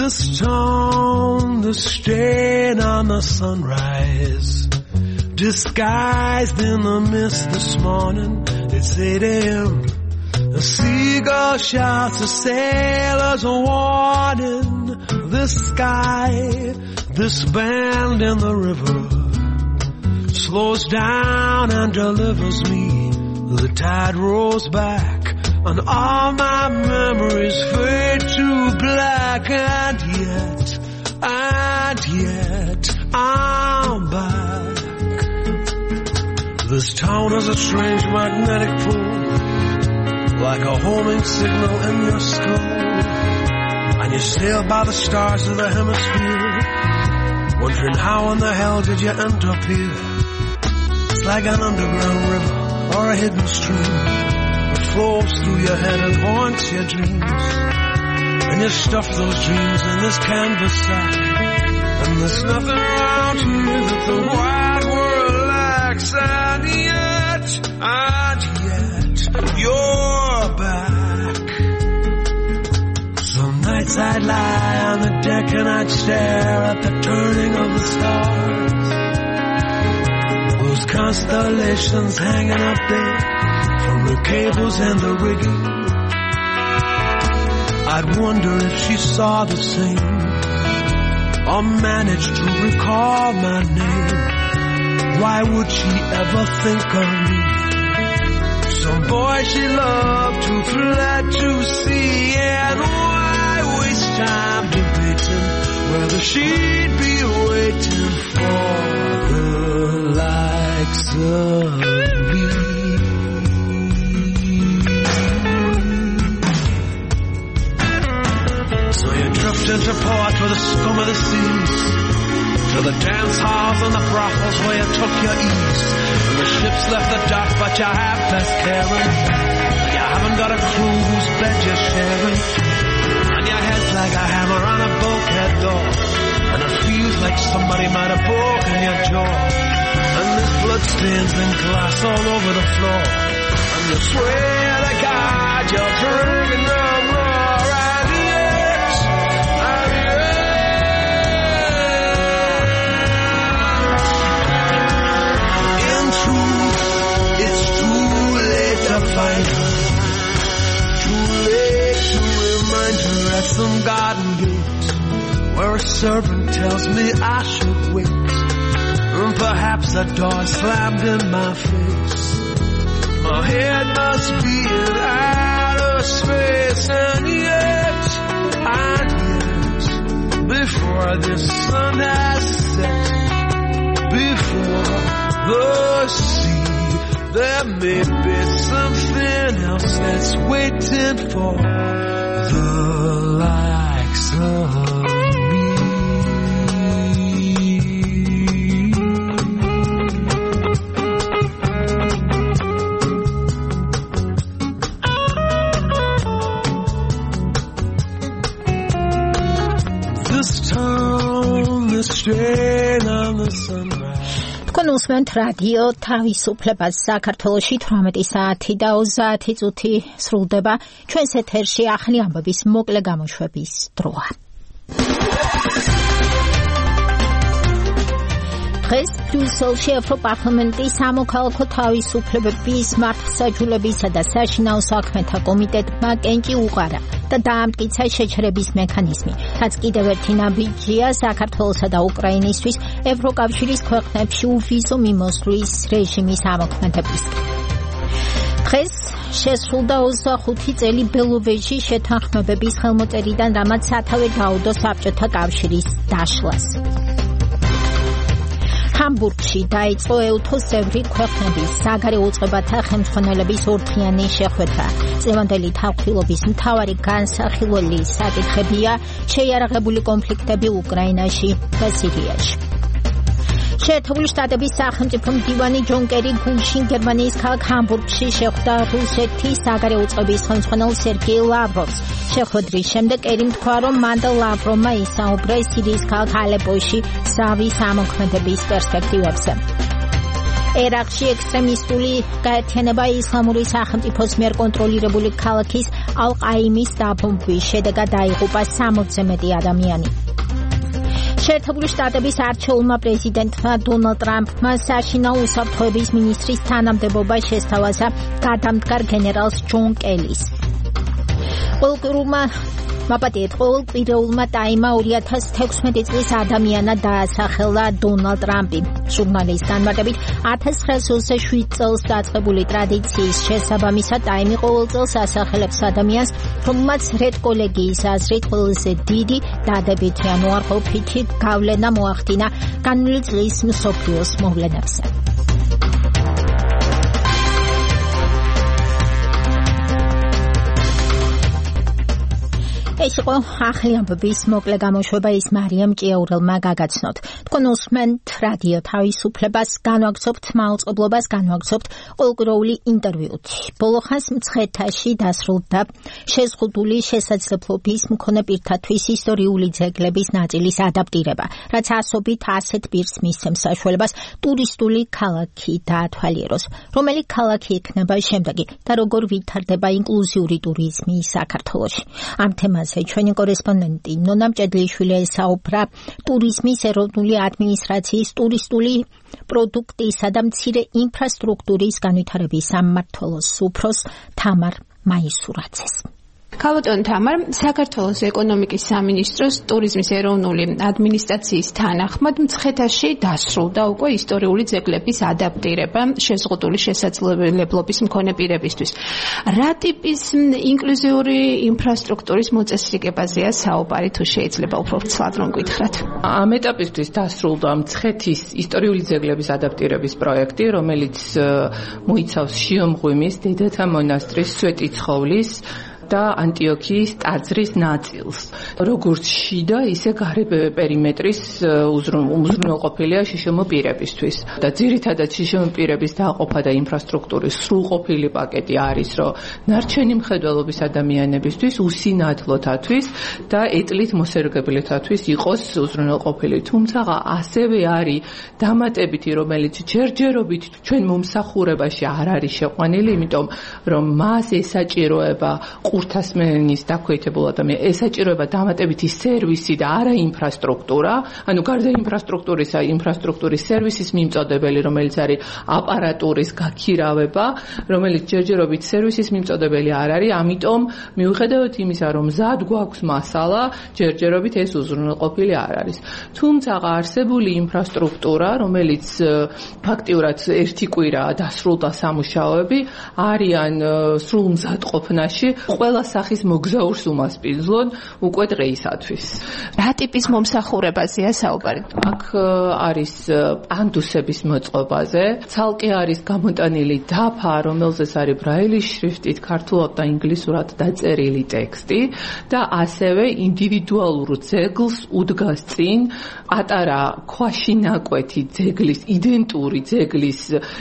This town, the stain on the sunrise, disguised in the mist this morning. It's eight a.m. A seagull shouts a sailor's warning. This sky, this bend in the river, slows down and delivers me. The tide rolls back and all my memories fade to black, and yet, and yet, I'm back. This town is a strange magnetic pull, like a homing signal in your skull, and you sail by the stars of the hemisphere, wondering how in the hell did you end up here. It's like an underground river or a hidden stream, flows through your head and haunts your dreams, and you stuff those dreams in this canvas sack, and there's nothing around here that the wide world lacks, and yet, and yet, you're back. Some nights I'd lie on the deck and I'd stare at the turning of the stars, those constellations hanging up there from the cables and the rigging. I'd wonder if she saw the same, or managed to recall my name. Why would she ever think of me? Some boy she loved who fled to sea, and why waste time debating whether she'd be waiting for the likes of me. Drift into port with the scum of the seas, to the dance halls and the brothels where you took your ease. And the ships left the dock, but you have best caring. And you haven't got a crew whose bed you're sharing. And your head's like a hammer on a bulkhead door. And it feels like somebody might have broken your jaw. And there's bloodstains and glass all over the floor. And you swear to God you're drinking no more. And yes, and yes. In truth, it's too late to find her. Too late to remind her at some garden gate, where a servant tells me I should wait. And perhaps a door slammed in my face. My head must be in outer space. And yet, and yet, before the sun has set, before the sea, there may be something else that's waiting for the likes of თქვენ უსმენთ რადიო თავისუფლებას საქართველოში თვრამეტი საათი და ოცდაათი წუთი სრულდება. ჩვენს ეთერში ახალი ამბების მოკლე გამოშვების დროა. დღეს ბრიუსელში ევროპარლამენტის სამოქალაქო თავისუფლებების მართლმსაჯულებისა და საშინაო საქმეთა კომიტეტმა კენჭი უყარა და დაამტკიცა შეჩერების მექანიზმი, რაც კიდევ ერთი ნაბიჯია საქართველოსა და უკრაინისთვის ევროკავშირის ქვეყნებში უვიზო მიმოსვლის რეჟიმის ამოქმედებისკენ. დღეს შესრულდა ოცდახუთი წელი ბელოვეჟის შეთანხმებების ხელმოწერიდან, რამაც სათავე დაუდო საბჭოთა კავშირის დაშლას. ჰამბურგში დაიწყო ეუთოს წევრი ქვეყნების საგარეო უწყებათა ხელმძღვანელების ორთქიანი შეხვედრა. წლევანდელი თანხმობის მთავარი განსახილველი საკითხებია შეიარაღებული კონფლიქტები უკრაინაში და სირიაში. შეერთებული შტატების სახელმწიფო მდივანი ჯონ კერი გულშინ გერმანიის ქალაქ ჰამბურგში შეხვდა რუსეთის საგარეო უწყების ხელმძღვანელ სერგეი ლავროვს. შეხვედრის შემდეგ კერიმ თქვა, რომ მან და ლავროვმა ისაუბრა სირიის ქალაქ ალეპოში ზავის ამოქმედების პერსპექტივებზე. ერაყში ექსტრემისტული გაერთიანება ისლამური სახელმწიფოს მიერ კონტროლირებული ქალაქის ალ-ყაიმის დაბომბვის შედეგად დაიღუპა სამოცზე მეტი ადამიანი. შეერთებული შტატების არჩეულმა პრეზიდენტმა დონალდ ტრამპმა საშინაო უსაფრთხოების მინისტრის თანამდებობა შესთავაზა გადამდგარ გენერალს ჯონ კელის. ყველგრუმა მაპატიეთ ყოველკვირეულმა ტაიმა ორი ათას თექვსმეტი წლის ადამიანად დაასახელა დონალდ ტრამპი. ჟურნალის განმარტებით ათას ცხრაასი ოცდაშვიდ წელს დაწყებული ტრადიციის შესაბამისად ტაიმი ყოველ წელს ასახელებს ადამიანს, რომელმაც რედ კოლეგიის აზრით ყველაზე დიდი დადებითი ან უარყოფითი გავლენა მოახდინა განვლილი წლის მსოფლიოს მოვლენებზე. ეს იყო ახალი ამბების მოკლე გამოშვება, ის მარიამ ჭიაურელმა გაგაცნოთ. თქვენ უსმენთ რადიო თავისუფლებას, განვაგრძობთ მაუწყებლობას, განვაგრძობთ ყოველკვირეული ინტერვიუთი. ბოლო ხანს მცხეთაში დასრულდა შეზღუდული შესაძლებლობის მქონე პირთათვის ისტორიული ძეგლების ნაწილის ადაპტირება, რაც ასობით ასეთ პირს მისცემს საშუალებას ტურისტული ქალაქი დაათვალიეროს. რომელი ქალაქი იქნება შემდეგი და როგორ ვითარდება ინკლუზიური ტურიზმი საქართველოში? ამ თემაზე ჩვენი კორესპონდენტი ნონა მჭედლიშვილი ესაუბრა ტურიზმის ეროვნული ადმინისტრაციის ტურისტული პროდუქტისა და მცირე ინფრასტრუქტურის განვითარების სამმართველოს უფროს თამარ მაისურაძეს. ქალბატონ თამარ, საქართველოს ეკონომიკის სამინისტროს ტურიზმის ეროვნული ადმინისტრაციის თანახმად მცხეთაში დასრულდა უკვე ისტორიული ძეგლების ადაპტირება შეზღუდული შესაძლებლობის მქონე პირებისთვის. რა ტიპის ინკლუზიური ინფრასტრუქტურის მოწესრიგებაზეა საუბარი, თუ შეიძლება უფრო ცალად რომ გითხრათ? ამ ეტაპისთვის დასრულდა მცხეთის ისტორიული ძეგლების ადაპტირების პროექტი, რომელიც მოიცავს შიომღვიმის, დედათა მონასტრის, სვეტიცხოვლის და ანტიოქიის ტაძრის ნაწილს. როგორც შიდა, ისე გარე პერიმეტრის უზრუნველყოფილია შიშელმო პირებისთვის. და ძირითადად შიშელმო პირების დაყოფა და ინფრასტრუქტურის სრულყოფილი პაკეტი არის, რომ ნარჩენი მხედველობის ადამიანებისთვის უსინათლოთათვის და ეტლით მოსერგებლეთათვის იყოს უზრუნველყოფილი. თუმცა ასევე არის დამატებითი, რომელიც ჯერჯერობით ჩვენ მომსახურებაში არ არის შეყვანილი, იმიტომ რომ მას ესაჭიროება ყურთასმენის დაქვეითებულ ადამიანს, ესაჭიროება დამატებითი სერვისი და არა ინფრასტრუქტურა, ანუ გარდა ინფრასტრუქტურისა, ინფრასტრუქტურის სერვისის მიმწოდებელი, რომელიც არის აპარატურის გაქირავება, რომელიც ჯერჯერობით სერვისის მიმწოდებელი არ არის, ამიტომ მიუხედავად იმისა, რომ მზად გვაქვს მასალა, ჯერჯერობით ეს უზრუნველყოფილი არ არის. თუმცა არსებული ინფრასტრუქტურა, რომელიც ფაქტიურად ერთი კვირაა დასრულდა სამუშაოები, არიან სრულ მზადყოფნაში, ყველა სახის მოგზაურს უმასპინძლონ უკვე დღეისათვის. რა ტიპის მომსახურებაზეა საუბარი? აქ არის პანდუსების მოწყობაზე, ცალკე არის გამოტანილი დაფა, რომელზეც არის ბრაილის შრიფტით ქართულად და ინგლისურად დაწერილი ტექსტი და ასევე ინდივიდუალურ ძეგლს უდგას წინ პატარა ქვაში ნაკვეთი ძეგლის, იდენტური ძეგლის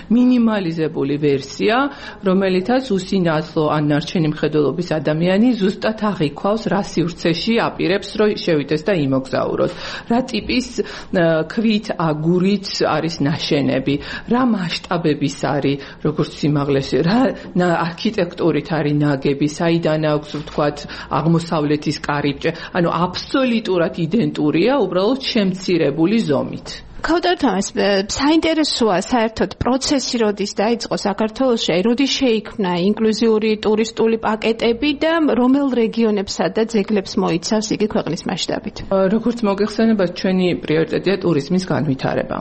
მინიმალიზებული ვერსია, რომელითაც უსინათლო ან ნარჩენი მხედველობის ადამიანი ზუსტად აღიქვავს, რა სივრცეში აპირებს, რომ შევიდეს და იმოგზაუროს. რა ტიპის ქვით, აგურით არის ნაშენები, რა მასშტაბების არის, როგორც სიმაღლეში, რა არქიტექტურით არის ნაგები, საიდან აქვს ვთქვათ აღმოსავლეთის კარიბჭე, ანუ აბსოლუტურად იდენტურია, უბრალოდ შემცირებული ზომით. ქავდართამეს საინტერესოა საერთოდ პროცესი როდის დაიწყო საქართველოში, აი როდის შეიქმნა ინკლუზიური ტურისტული პაკეტები და რომელ რეგიონებსა და ძეგლებს მოიცავს იგი ქვეყნის მასშტაბით? როგორც მოგეხსენებათ, ჩვენი პრიორიტეტია ტურიზმის განვითარება.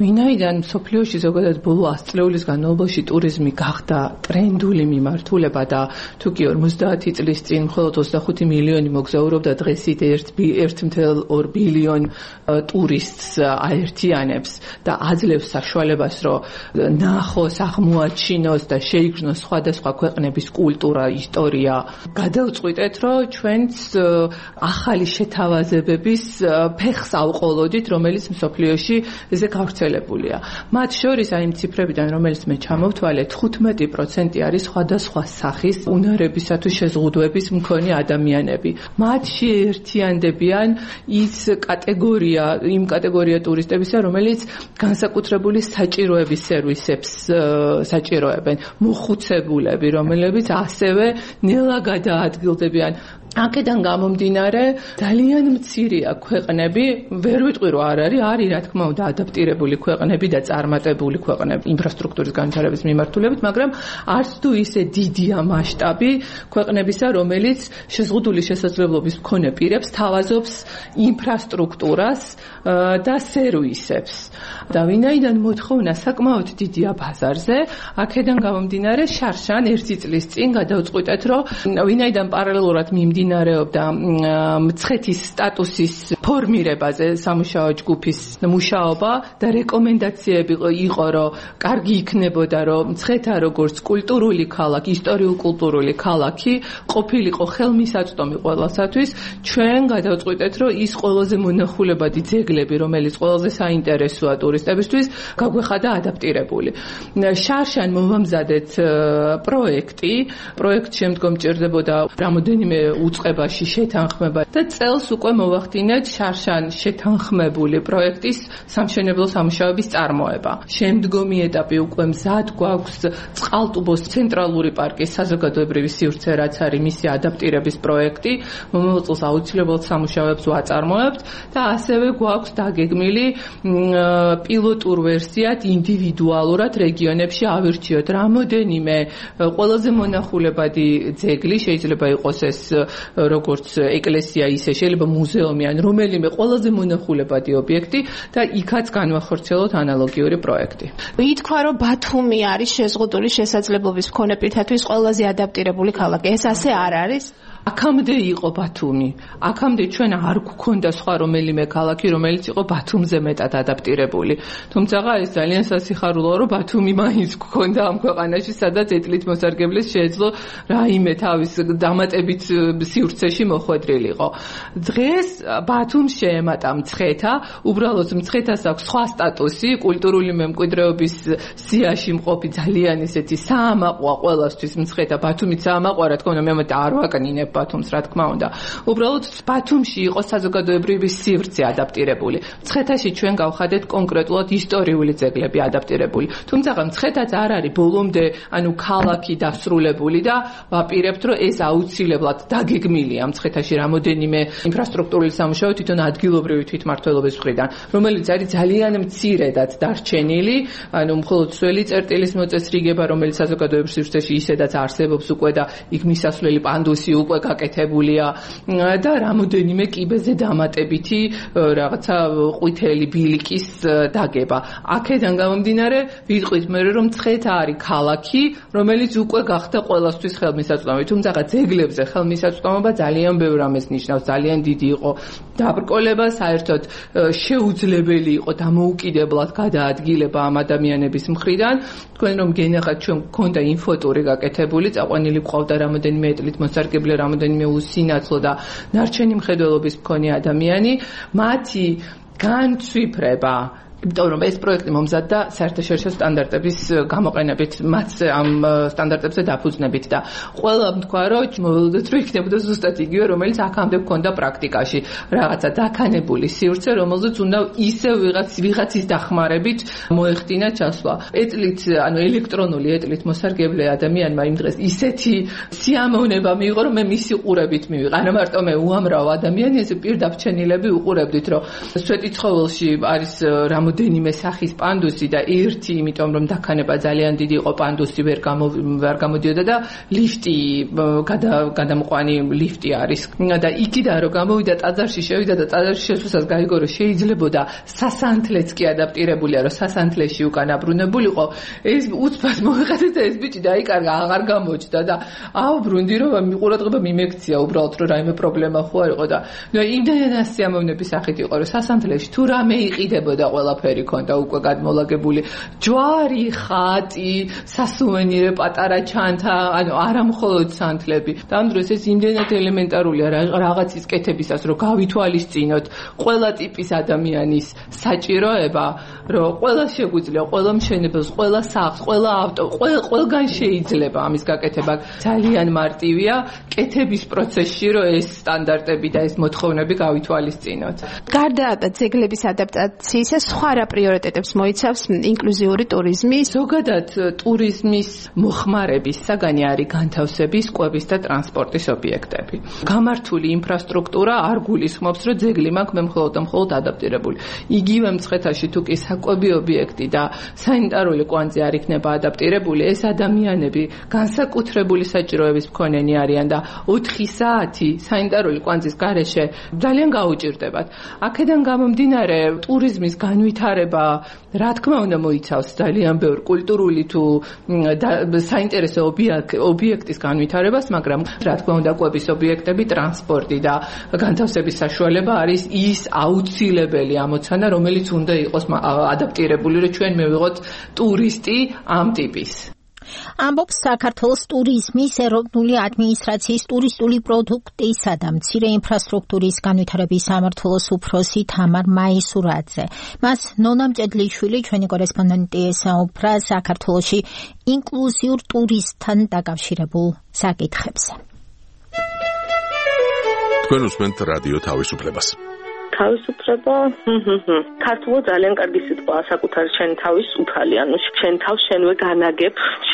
ვინაიდან მსოფლიოში ზოგადად ბოლო ას წლეულის განმავლობაში ტურიზმი გახდა ტრენდული მიმართულება და თუ კი ორმოცდაათი წლის წინ მხოლოდ ოცდახუთი მილიონი მოგზაურობდა, დღეს ის ერთი წუთი ორი ბილიონი ტურისტს აერთიანებს და აძლევს საშუალებას, რომ ნახოს, აღმოაჩინოს და შეიგრძნოს სხვადასხვა ქვეყნების კულტურა, ისტორია. გადავწყვიტეთ, რომ ჩვენც ახალი შეთავაზებების ფეხს ავყოლოდით, რომელიც მსოფლიოში ესე გავრცელებულია. მათ შორის აი იმ ციფრებიდან, რომელიც მე ჩამოვთვალე, თხუთმეტი პროცენტი არის სხვადასხვა სახის უნარებისათვის შეზღუდვების მქონე ადამიანები. მათში ერთიანდებიან ის კატეგორია, იმ კატეგორია ტურისტების, რომელიც განსაკუთრებული საჭიროების სერვისებს საჭიროებენ, მოხუცებულები, რომლებიც ასევე ნელა გადაადგილდებიან. აქედან გამომდინარე, ძალიან მცირეა ქვეყნები, ვერ ვიტყვი რომ არ არის, არის რა თქმა უნდა ადაპტირებული ქვეყნები და წარმატებული ქვეყნები ინფრასტრუქტურის განვითარების მიმართულებით, მაგრამ არც თუ ისე დიდია მასშტაბი ქვეყნებისა, რომელიც შეზღუდული შესაძლებლობის მქონე პირებს თავაზობს ინფრასტრუქტურას და სერვისებს. და ვინაიდან მოთხოვნა საკმაოდ დიდია ბაზარზე, აქედან გამომდინარე, შარშან ერთი წლის წინ გადავწყვიტეთ, რომ ვინაიდან პარალელურად მიმდინარეობდა მცხეთის სტატუსის ფორმირებაზე სამუშაო ჯგუფის მუშაობა და რეკომენდაციები იყო, რომ კარგი იქნებოდა, რომ მცხეთა როგორც კულტურული ქალაქი, ისტორიულ-კულტურული ქალაქი ყოფილიყო ხელმისაწვდომი ყველასათვის, ჩვენ გადავწყვიტეთ, რომ ის ყველაზე მონახულებადი ძეგლები, რომელიც ყველაზე საინტერესოა ტურისტებისთვის, გაგვეხადა ადაპტირებული. შარშან მოვამზადეთ პროექტი, პროექტ შემდგომ ჭირდებოდა რამოდენიმე უწყებაში შეთანხმება და წელს უკვე მოვახდინეთ შარშან შეთანხმებული პროექტის სამშენებლო სამუშაოების წარმოება. შემდგომი ეტაპი უკვე მზად გვაქვს წყალტუბოს ცენტრალური პარკის საზოგადოებრივი სივრცე, რაც არის მისი ადაპტირების პროექტი, მომავალ წელს აუცილებლად სამუშაოებს ვაწარმოებთ და ასევე გვაქვს დაგეგმილი პილოტურ ვერსიად ინდივიდუალურად რეგიონებში ავირჩიოთ რამოდენიმე ყველაზე მონახულებადი ძეგლი, შეიძლება იყოს ეს როგორც ეკლესია, ისე შეიძლება მუზეუმი ან რომელიმე ყველაზე მონახულებადი ობიექტი და იქაც განვახორციელოთ ანალოგიური პროექტი. ითქვა, რომ ბათუმი არის შეზღუდული შესაძლებლობის მქონე პირთათვის ყველაზე ადაპტირებული ქალაქი. ეს ასე არ არის? აქამდე იყო ბათუმი. აქამდე ჩვენ არ გვქონდა სხვა რომელიმე ქალაქი, რომელიც იყო ბათუმზე მეტად ადაპტირებული. თუმცა ეს ძალიან სასიხარულოა, რომ ბათუმი მაინც გვქონდა ამ ქვეყანაში, სადაც ეთლით მოსარგებლეს შეეძლო რაიმე თავის დამატებით სივრცეში მოხვედრილიყო. დღეს ბათუმს შეემატა მცხეთა, უბრალოდ მცხეთას აქვს სხვა სტატუსი, კულტურული მემკვიდრეობის სიაში მყოფი ძალიან ისეთი საამაყოა ყველასთვის მცხეთა. ბათუმიც საამაყოა, რა თქმა უნდა, მე მეტ არ ვაკნინებ ბათუმს, რა თქმა უნდა. უბრალოდ ბათუმში იყო საზოგადოებრივი სივრცე ადაპტირებული. მცხეთაში ჩვენ გავხადეთ კონკრეტულად ისტორიული ძეგლები ადაპტირებული. თუმცა მცხეთაც არ არის ბოლომდე, ანუ ქალაქი დასრულებული და ვაპირებთ, რომ ეს აუცილებლად დაგეგმილია მცხეთაში რამოდენიმე ინფრასტრუქტურული სამუშაო თვითონ ადგილობრივი თვითმმართველობის მხრიდან, რომელიც არის ძალიან მცირედაც დარჩენილი, ანუ მხოლოდ სველი წერტილის მოწესრიგება, რომელიც საზოგადოებრივ სივრცეში ისედაც არსებობს უკვე და იქ მისასვლელი პანდუსი უკვე გაკეთებულია და რამოდენიმე კიბეზე დამატებითი რაღაცა ყვითელი ბილიკის დაგება. აქედან გამომდინარე ვიტყვით მე რომ მცხეთა არის ქალაქი, რომელიც უკვე გახდა ყველასთვის ხელმისაწვდომი. თუმცა ძეგლებზე ხელმისაწვდომობა ძალიან ბევრ ამას ნიშნავს, ძალიან დიდი იყო დაბრკოლება, საერთოდ შეუძლებელი იყო დამოუკიდებლად გადაადგილება ამ ადამიანების მხრიდან. თქვენ რომ გენახათ ჩვენ გქონდა ინფოტური გაკეთებული, წაყვანილი გვყავდა რამოდენიმე ეთლით მოსარგებლე, რამოდენიმე უსინათლო და ნარჩენი მხედველობის მქონე ადამიანი, მათი განცვიფრება, იმიტომ რომ ეს პროექტი მომზადდა საერთაშორისო სტანდარტების გამოყენებით, მათ ამ სტანდარტებზე დაფუძნებით და ყველა თქვა რომ მოვიდეთ რომ იქნებოდა ზუსტად იგივე, რომელიც აქამდე გქონდა პრაქტიკაში, რაღაცა დაქანებული სივრცე, რომელზეც უნდა ისევ ვიღაც ვიღაცის დახმარებით მოეხდინა ჩასვლა. ეთლით, ანუ ელექტრონული ეთლით მოსარგებლე ადამიანმა იმ დღეს ისეთი სიამოვნება მიიღო, რომ მე მისი ყურებით მივიღე. არა მარტო მე უამრავ ადამიანი, ეს პირდაბრჩენილები უყურებდით, რომ სვეტიცხოველში არის რამ მოდენიმე სახის პანდუსი და ერთი, იმიტომ რომ დაქანება ძალიან დიდი იყო, პანდუსი ვერ გამო ვერ გამოდიოდა და ლიფტი გადამყვანი ლიფტი არის და იქიდან რომ გამოვიდა ტაძარში, შევიდა და ტაძარში შესვლისას გაიგო რომ შეიძლებოდა სასანთლეც კი ადაპტირებულია, რომ სასანთლეში უკან აბრუნებულიყო. ეს უცბად მოეყადა და ეს ბიჭი დაიკარგა, აღარ გამოჩნდა და აუბრუნდი რომ მიყურადღება მიმექცია უბრალოდ რომ რაიმე პრობლემა ხო არ იყო და ნუ იმდენად სიამოვნების სახით იყო რომ სასანთლეში თუ რამე იყიდებოდა ყველა ფერი ქონდა უკვე გადმოლაგებული, ჯვარი, ხატი, სასუვენირო პატარა ჩანთა, ანუ არა მხოლოდ სანთლები. და ამ დროს ეს იმდენად ელემენტარულია რაღაცის კეთებისას, რომ გავითვალისწინოთ ყველა ტიპის ადამიანის საჭიროება, რომ ყველა შეგვიძლია, ყველა მშენებელს, ყველა სახლს, ყველა ავტო, ყველგან შეიძლება ამის გაკეთება. ძალიან მარტივია კეთების პროცესში, რომ ეს სტანდარტები და ეს მოთხოვნები გავითვალისწინოთ. გარდა ძეგლების ადაპტაციისა, სხვა რა პრიორიტეტებს მოიცავს ინკლუზიური ტურიზმი? ზოგადად ტურიზმის მოხმარების საგანი არის განთავსების, კვების და ტრანსპორტის ობიექტები. გამართული ინფრასტრუქტურა არ გულისხმობს, რომ ძეგლი მაქვს მე მხოლოდ და მხოლოდ ადაპტირებული. იგივე მცხეთაში თუ კი საკვები ობიექტი და სანიტარული კვანძი არ იქნება ადაპტირებული, ეს ადამიანები განსაკუთრებული საჭიროების მქონენი არიან და ოთხი საათი სანიტარული კვანძის გარეშე ძალიან გაუჭირდებათ. აქედან გამომდინარე ტურიზმის განვითარება, რა თქმა უნდა, მოიცავს ძალიან ბევრ კულტურული თუ საინტერესო ობიექტის განვითარებას, მაგრამ რა თქმა უნდა, კვების ობიექტები, ტრანსპორტი და განთავსების საშუალება არის ის აუცილებელი ამოცანა, რომელიც უნდა იყოს ადაპტირებული, რომ ჩვენ მივიღოთ ტურისტი ამ ტიპის. ამბობს საქართველოს ტურიზმის ეროვნული ადმინისტრაციის ტურისტული პროდუქტისა და მცირე ინფრასტრუქტურის განვითარების სამმართველოს უფროსი თამარ მაისურაძე. მას ნონა მჭედლიშვილი, ჩვენი კორესპონდენტი, ესაუბრა საქართველოში ინკლუზიურ ტურიზმთან დაკავშირებულ საკითხებზე. თქვენ უსმენთ რადიო თავისუფლებას. თავისუფლება, ქართულად ძალიან კარგი სიტყვაა, საკუთარი შენ თავის უფალი, ანუ შენ თავს შენვე განაგებ,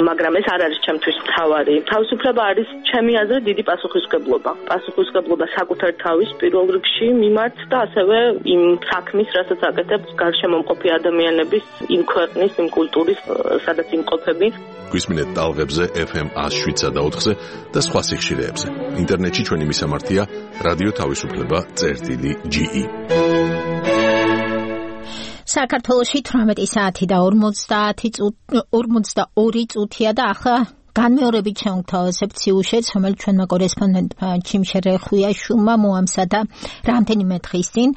მაგრამ ეს არ არის ჩემთვის მთავარი. თავისუფლება არის ჩემი აზრით დიდი პასუხისმგებლობა. პასუხისმგებლობა საკუთარ თავის პირველ რიგში მიმართ და ასევე იმ საქმის, რასაც აკეთებს გარშემომყოფი ადამიანების, იმ ქვეყნის, იმ კულტურის, სადაც იმყოფები. გვისმინეთ ტალღებზე ეფ ემ ათს შვიდსა და ოთხზე და სხვა სიხშირეებზე. ინტერნეტში ჩვენი მისამართია რადიო თავისუფლება წერტილი ჯი ი. საქართველოში თვრამეტი საათი და ორმოცდაორი წუთია და ახლა განმეორებით შევთავაზებთ სიუჟეტს, რომელიც ჩვენმა კორესპონდენტმა ჩიმშე რეხვიაშვილმა მოამზადა რამდენიმე დღის წინ.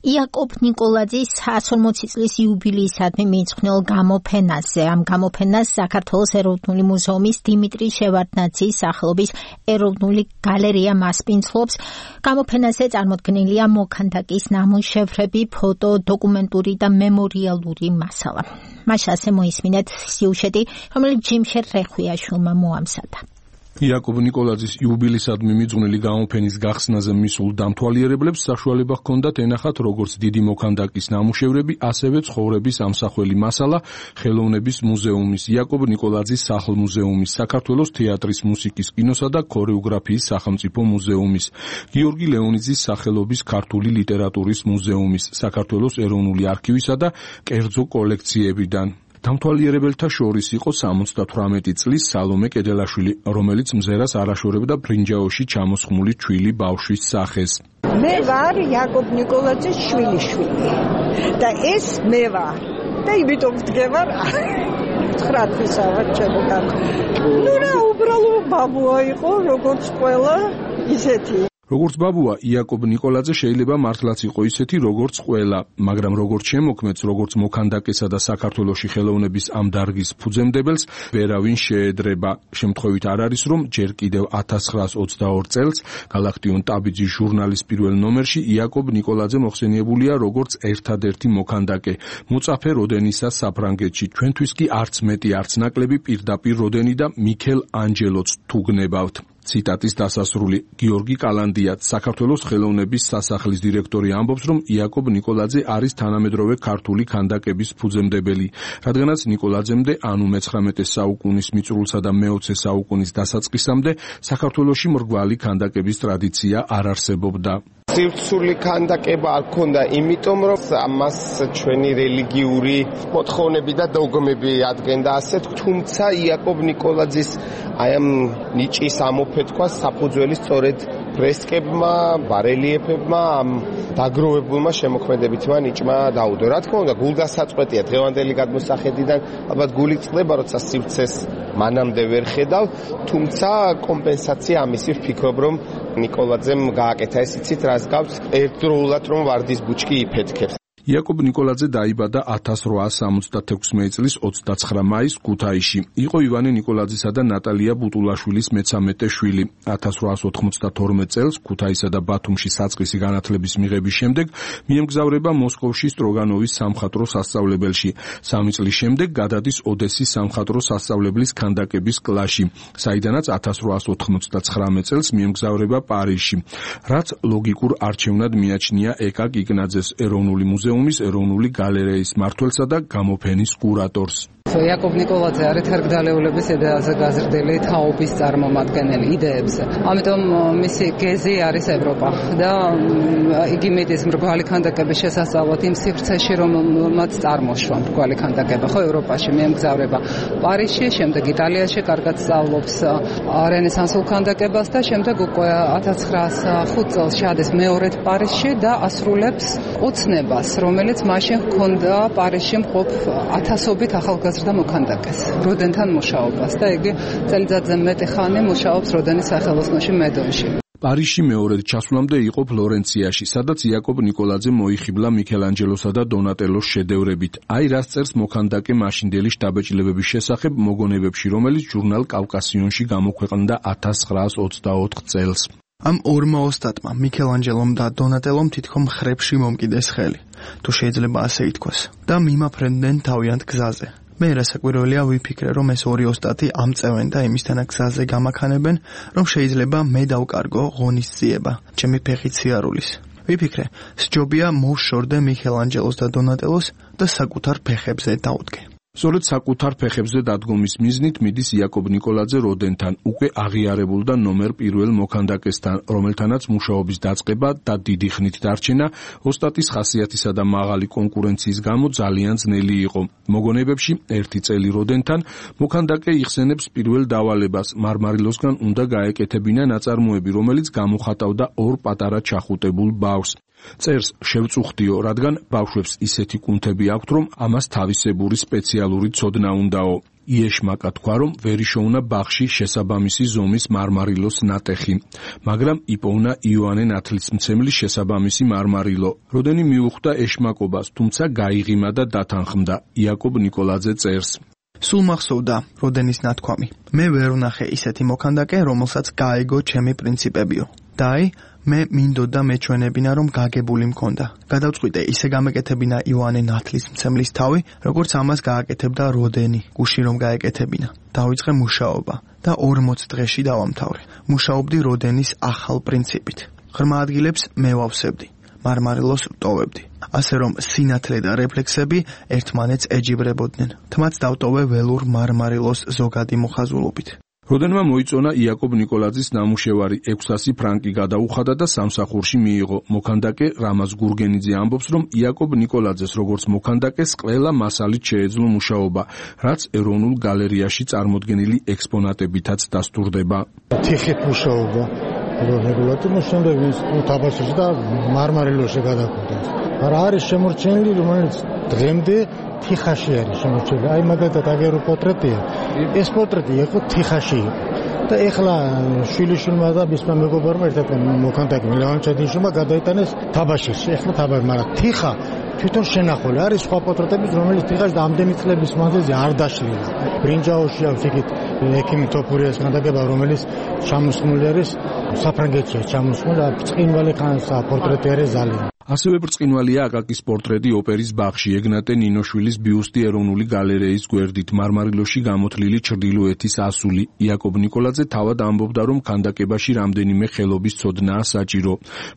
იაკობ ნიკოლაძის εκατს ორმოცი წლის იუბილეისადმი მიძღვნილ გამოფენაზე. ამ გამოფენას საქართველოს ეროვნული მუზეუმის დიმიტრი შევარდნაძის სახელობის ეროვნული გალერეა მასპინძლობს. გამოფენაზე წარმოდგენილია მოქანდაკის ნამუშევრები, ფოტო, დოკუმენტური და მემორიალური მასალა. მაშ ასე მოისმინეთ სიუჟეტი, რომელიც ჯიმშე რეხვიაშვილმა მოამზადა. იაკობ ნიკოლაძის იუბილეისადმი მიძღვნილი გამოფენის გახსნაზე მისულ დამთვალიერებლებს საშუალება ჰქონდათ ენახათ როგორც დიდი მოქანდაკის ნამუშევრები, ასევე ცხოვრების ამსახველი მასალა ხელოვნების მუზეუმის, იაკობ ნიკოლაძის სახლ-მუზეუმის, საქართველოს თეატრის, მუსიკის, კინოსა და ქორეოგრაფიის სახელმწიფო მუზეუმის, გიორგი ლეონიძის სახელობის ქართული ლიტერატურის მუზეუმის, საქართველოს ეროვნული არქივისა და კერძო კოლექციებიდან. დამთვალიერებელთა შორის იყო სამოცდათვრამეტი წლის სალომე კედელაშვილი, რომელიც მზერას არაშორებდა ბრინჯაოში ჩამოსხმული ჩვილი ბავშვის სახეს. მე ვარ იაკობ ნიკოლაძის შვილიშვილი და ეს მე ვარ და იმიტომ ვდგევარ ცხრა თვისაა ჩემთან. ნუ რა უბრალო ბაბუა იყო, როგორც ყველა ისეთი. როგორც ბაბუა, იაკობ ნიკოლაძე შეიძლება მართლაც იყო ისეთი, როგორც ყველა, მაგრამ როგორც შემოქმედს, როგორც მოქანდაკესა და საქართველოში ხელოვნების ამ დარგის ფუძემდებელს, ვერავინ შეედრება. შემთხვევით არ არის, რომ ჯერ კიდევ ათას ცხრაას ოცდაორ წელს გალაქტიონ ტაბიძის ჟურნალის პირველ ნომერში იაკობ ნიკოლაძე მოხსენიებულია როგორც ერთადერთი მოქანდაკე. მოწაფე როდენისა საფრანგეთში, ჩვენთვის კი არც მეტი, არც ნაკლები პირდაპირ როდენი და მიქელ ანჯელოც თუ გნებავთ. ციტატის დასასრული. გიორგი კალანდიაც, საქართველოს ხელოვნების სასახლის დირექტორი, ამბობს, რომ იაკობ ნიკოლაძე არის თანამედროვე ქართული ქანდაკების ფუძემდებელი, რადგანაც ნიკოლაძემდე, ანუ მეცხრამეტე საუკუნის მიწურულსა და მეოცე საუკუნის დასაწყისამდე საქართველოში მრგვალი ქანდაკების ტრადიცია არ არსებობდა. სივრცული ქანდაკება არ ქონდა, იმიტომ რომ ამას ჩვენი რელიგიური მოთხოვნები და დოგმები ადგენდა ასეთ, თუმცა იაკობ ნიკოლაძის აი ამ ნიჭის ამოფეთქვას საფუძველი სწორედ ფრესკებმა, ბარელიეფებმა, ამ დაგროვებულმა შემოქმედებითმა ნიჭმა დაუდო. რა თქმა უნდა, გულდასაწყვეტია დღევანდელი გადმოსახედიდან, ალბათ გული წყდება, როცა სივრცეს მანამდე ვერ ხედავ, თუმცა კომპენსაცია ამისი ვფიქრობ, რომ ნიკოლაძემ გააკეთა ეს იცით რას გავს, ერთდროულად რომ ვარდის ბუჩქი იფეთქებს. იაკობ ნიკოლაძე დაიბადა ათას რვაას სამოცდათექვსმეტი წლის ოცდაცხრა მაისს ქუთაისში. იყო ივანე ნიკოლაძისა და ნატალია ბუტულაშვილის მეცამეტე შვილი. ათას რვაას ოთხმოცდათორმეტ წელს ქუთაისა და ბათუმში საწყისი განათლების მიღების შემდეგ მიემგზავრება მოსკოვში სტროგანოვის სამხატვრო სასწავლებელში. სამი წლის შემდეგ გადადის ოდესის სამხატვრო სასწავლებლის ქანდაკების კლასში, საიდანაც ათას რვაას ოთხმოცდაცხრამეტ წელს მიემგზავრება პარიზში, რაც ლოგიკურ არჩევნად მიაჩნია ეკა კიკნაძეს, ეროვნული მუზეუმის ეროვნული გალერეის მმართველსა და გამოფენის კურატორს. იაკობ ნიკოლაძე არის თარგდალეულების იდეაზე გაზრდილი თაობის წარმომადგენელი იდეებზე. ამიტომ მისი გეზი არის ევროპა და იგი მიდის მრგვალი ქანდაკების შესასწავლად იმ სივრცეში, რომელმაც წარმოშვა მრგვალი ქანდაკება, ხო ევროპაში მიემგზავრება პარიზში, შემდეგ იტალიაში კარგად სწავლობს რენესანსულ ქანდაკებას და შემდეგ უკვე ათას ცხრაას ხუთ წელს შეადეს მეორედ პარიზში და ასრულებს ოცნებას, რომელიც მაშინ ჰქონდა პარიზში მყოფ ათასობით ახალგაზრდა და მოქანდაკეს როდენთან მუშაობას და იგი წელიწადზე მეტი ხანი მუშაობს როდენის სახელოსნოში მედონში. პარიზში მეორედ ჩასვლამდე იყო ფლორენციაში, სადაც იაკობ ნიკოლაძე მოიხიბლა მიქელანჯელოსა და დონატელოს შედევრებით. აი რას წერს მოქანდაკე მაშინდელი შთაბეჭდილებების შესახებ მოგონებებში, რომელიც ჟურნალ კავკასიონში გამოქვეყნდა ათას ცხრაას ოცდაოთხ წელს. ამ ორმა ოსტატმა, მიქელანჯელომ და დონატელომ თითქოს ხრებში მომკიდეს ხელი, თუ შეიძლება ასე ითქვას, და მიმაფრენდნენ თავიანთ გზაზე. მე რასაკვირველია ვიფიქრე, რომ ეს ორი ოსტატი ამწევენ და იმისთანა გზაზე გამაქანებენ, რომ შეიძლება მე დავკარგო ღონისძიება, ჩემი ფეხი ციარულის. ვიფიქრე, სჯობია მოვშორდე მიქელანჯელოს და დონატელოს და საკუთარ ფეხებზე დავდგე. სწორედ საკუთარ ფეხებზე დადგომის მიზნით მიდის იაკობ ნიკოლაძე როდენთან, უკვე აღიარებულ და ნომერ პირველ მოქანდაკესთან, რომელთანაც მუშაობის დაწყება და დიდი ხნით დარჩენა ოსტატის ხასიათისა და მაღალი კონკურენციის გამო ძალიან ძნელი იყო. მოგონებებში ერთი წელი როდენთან მოქანდაკე იხსენებს პირველ დავალებას, მარმარილოსგან უნდა გაეკეთებინა ნაწარმოები, რომელიც გამოხატავდა ორ პატარა ჩახუტებულ ბავშვს. წერს შევწუხდიო, რადგან ბავშვებს ისეთი კუნთები აქვთ, რომ ამას თავისებური სპეციალური ცოდნა უნდაო. იეშმაკა თქვა, რომ ვერ იშოვნა ბაღში შესაბამისი ზომის მარმარილოს ნატეხი, მაგრამ იპოვნა იოანე ნათლისმცემლის შესაბამისი მარმარილო. როდენი მიუხვდა ეშმაკობას, თუმცა გაიღიმა და დათანხმდა. იაკობ ნიკოლაძე წერს. სულ მახსოვდა როდენის ნათქვამი. მე ვერ ვნახე ისეთი მოქანდაკე, რომელსაც გაეგო ჩემი პრინციპებიო. და აი, მე მინდოდა მეჩვენებინა, რომ გაგებული მქონდა. გადავწყვიტე ისე გამეკეთებინა იოანე ნათლისმცემლის თავი, როგორც ამას გააკეთებდა როდენი, გუში რომ გაეკეთებინა. დავიწყე მუშაობა და ორმოც დღეში დავამთავრე. მუშაობდი როდენის ახალ პრინციპით. ღრმა ადგილებს მე ვავსებდი. მარმარილოს ვტოვებდი. ასე რომ სინათლე და რეფლექსები ერთმანეთს ეჯიბრებოდნენ. თმაც დავტოვე ველურ მარმარილოს ზოგადი მოხაზულობით. როდენმა მოიწონა იაკობ ნიკოლაძის ნამუშევარი ექვსასი ფრანკი გადაუხადა და სამსახურში მიიღო. მოქანდაკე რამაზ გურგენიძე ამბობს, რომ იაკობ ნიკოლაძეს როგორც მოქანდაკეს ყველა მასალით შეეძლო მუშაობა, რაც ეროვნულ გალერეაში წარმოდგენილი ექსპონატებითაც დასტურდება. თიხით მუშაობა რეგულატი მოშენდა ვის თაბაშში და მარმარილოში გადაკვდა. არა არის შემორჩენილი, რომელიც დღემდე თიხაში არის შემორჩენილი. აი მაგალითად აგერო პორტრეტია. ეს პორტრეტი იყო თიხაში და ეხლა შვილიშვილმა და მისმა მეგობარმა ერთად მოქანდაკე ლევან ჩადიშვილმა გადაიტანეს თაბაშში. ეხლა თაბაში, მაგრამ თიხა თვითონ შენახული არის სხვა პორტრეტების, რომელიც თიხაში და ამდენი წლების მანძილზე არ დაშლილა. ბრინჯაოში აქვს იქით ექიმ თოფურიას ქანდაკება, რომელიც ჩამოსხმული არის საფრანგეთში, ჩამოსხმული ბრწყინვალე ხანს პორტრეტი არის ზალი. ასევე ბრწყინვალეა აკაკის პორტრეტი ოპერის ბაღში, ეგნატე ნინოშვილის ბიუსტი ეროვნული გალერეის გვერდით, მარმარილოში გამოთლილი ჩრდილოეთის ასული. იაკობ ნიკოლაძე თავად ამბობდა, რომ ქანდაკებაში რამდენიმე ხელობის ცოდნაა საჭირო.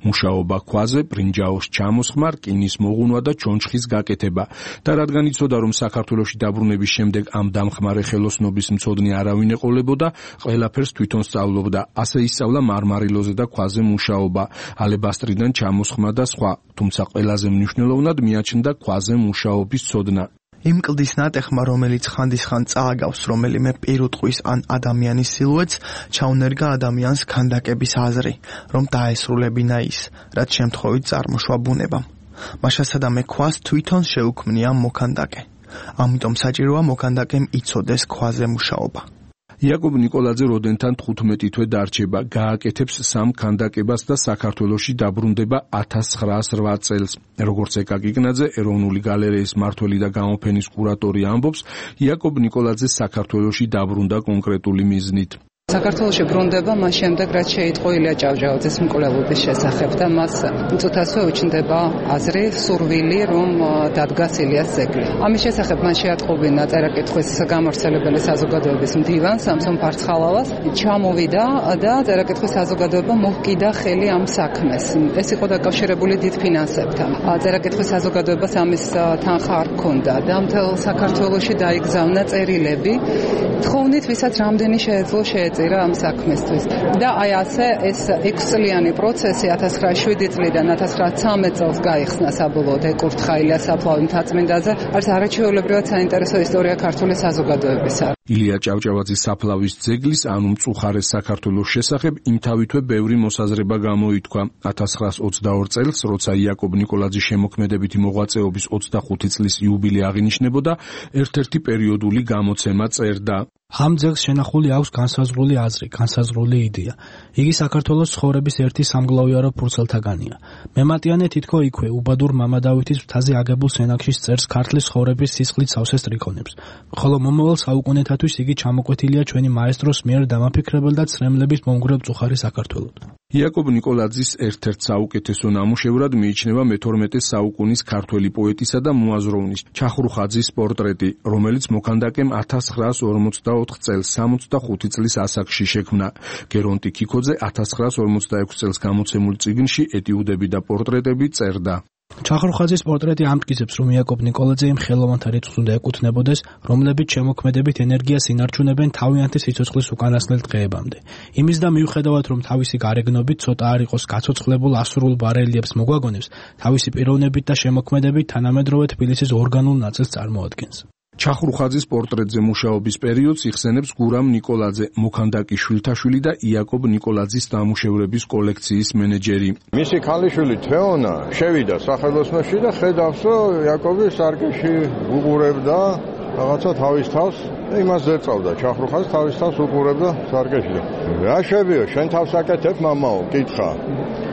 მუშაობა ქვაზე, ბრინჯაოს ჩამოსხმა, რკინის მოღუნვა და ჩონჩხის გაკეთება. და რადგან იცოდა, რომ საქართველოში დაბრუნების შემდეგ ამ დამხმარე ხელოსნობის მცოდნე არავინ ეყოლებოდა, ყველაფერს თვითონ სწავლობდა. ასე ისწავლა მარმარილოზე და ქვაზე მუშაობა, ალებასტრიდან ჩამოსხმა და სხვა. თუმცა ყველაზე მნიშვნელოვნად მიაჩნდა ქვაზე მუშაობის ცოდნა. იმ კლდის ნატეხმა, რომელიც ხანდისხან წააგავს რომელიმე პირუტყვის ან ადამიანის სილუეტს, ჩაუნერგა ადამიანს ქანდაკების აზრი, რომ დაესრულებინა ის, რაც შემთხვევით წარმოშვა ბუნებამ. მაშასადამე ქვას თვითონ შეუქმნია მოქანდაკე. ამიტომ საჭიროა მოქანდაკემ იცოდეს ქვაზე მუშაობა. იაკობ ნიკოლაძე როდენთან თხუთმეტი თვე დარჩება, გააკეთებს სამ ქანდაკებას და საქართველოში დაბრუნდება ათას ცხრაასი რვა წელს. როგორც ეკაკი კნაძე, ეროვნული გალერეის მმართველი და გამოფენის კურატორი ამბობს, იაკობ ნიკოლაძე საქართველოში დაბრუნდა კონკრეტული მიზნით. საქართველოში ბრუნდება მას შემდეგ, რაც შეიტყო ილია ჭავჭავაძის მკვლელობის შესახებ და მას მწუთასვე უჩნდება აზრი, სურვილი, რომ დადგას ილიას ძეგლი. ამის შესახებ მან შეატყობინა წერა-კითხვის გამავრცელებელი საზოგადოების მდივან სამსონ ფარცხალავას, ჩამოვიდა და წერა-კითხვის საზოგადოება მოჰკიდა ხელი ამ საქმეს. ეს იყო დაკავშირებული დიდ ფინანსებთან. წერა-კითხვის საზოგადოებას ამის თანხა არ ჰქონდა და მთელ საქართველოში დაიგზავნა წერილები, თხოვნით, ვისაც რამდენი შეეძლო შეეწირა ამ საქმესთვის. და აი ასე ეს ექვსწლიანი პროცესი ათას ცხრაასი შვიდი წლიდან ათას ცხრაასი ცხრამეტ წელს გაიხსნა საბოლოოდ ეკურთხა ილიას საფლავი მთაწმინდაზე. არის არაჩვეულებრივად საინტერესო ისტორია ქართული საზოგადოებისა. ილია ჭავჭავაძის საფლავის ძეგლის, ანუ მწუხარეს საქართველოს შესახებ იმთავითვე ბევრი მოსაზრება გამოითქვა. ათას ცხრაასი ოცდაორი წელს, როცა იაკობ ნიკოლაძის შემოქმედებითი მოღვაწეობის ოცდახუთი წლის იუბილე აღინიშნებოდა, ერთ-ერთი პერიოდული გამოცემა წერდა. ამ ძეგლს შენახული აქვს განსაზღვრული აზრი, განსაზღვრული იდეა. იგი საქართველოს ცხოვრების ერთი სამგლოვიარო ფურცელთაგანია. მემატიანე თითქო იქვე, უბადურ მამადავითის მთაზე აგებულ სენაკში წერს ქართლის ცხოვრების სისხლით სავსე სტრიქონებს. ხოლო მომავალ საუკუნეთათვის იგი ჩამოკვეთილია ჩვენი მაესტროს მიერ დამაფიქრებელ და ცრემლების მომგვრელ მწუხარე საქართველოდ. იაკობ ნიკოლაძის ერთ-ერთ საუკეთესო ნამუშევრად მიიჩნევა მეთორმეტე საუკუნის ქართველი პოეტისა და მოაზროვნის ჩახრუხაძის პორტრეტი, რომელიც მოქანდაკემ ათას ცხრაასი ორმოცდაოთხ წელს სამოცდახუთი წლის ასაკში შექმნა. გერონტი ქიქოძე ათას ცხრაასი ორმოცდაექვსი წელს გამოცემულ წიგნში ეტიუდები და პორტრეტები წერდა. ჩახრუხაძის პორტრეტი ამტკიცებს, რომ იაკობ ნიკოლაძე იმ ხელოვანთა რიცხვს უნდა ეკუთვნებოდეს, რომლებიც შემოქმედებით ენერგიას ინარჩუნებენ თავიანთი სიცოცხლის უკანასკნელ დღეებამდე. იმის და მიუხედავად, რომ თავისი გარეგნობით ცოტა არ იყოს გაცოცხლებულ ასურულ ბარელიეფს მოგვაგონებს, თავისი პიროვნებით და შემოქმედებით თანამედროვე თბილისის ორგანულ ნაწილს წარმოადგენს. ჩახრუხაძის პორტრეტზე მუშაობის პერიოდს იხსენებს გურამ ნიკოლაძე, მოქანდაკის შვილთაშვილი და იაკობ ნიკოლაძის ნამუშევრების კოლექციის მენეჯერი. მისი ქალიშვილი თეონა შევიდა სახელოსნოში და ხედავს, რომ იაკობი სარკეში უყურებდა რაღაცა თავის თავს იმას ზეწავდა ჩახრუხას თავის თავს უყურებდა სარკეში. რა შევიო, შენ თავს აკეთებ მამაო, კითხა.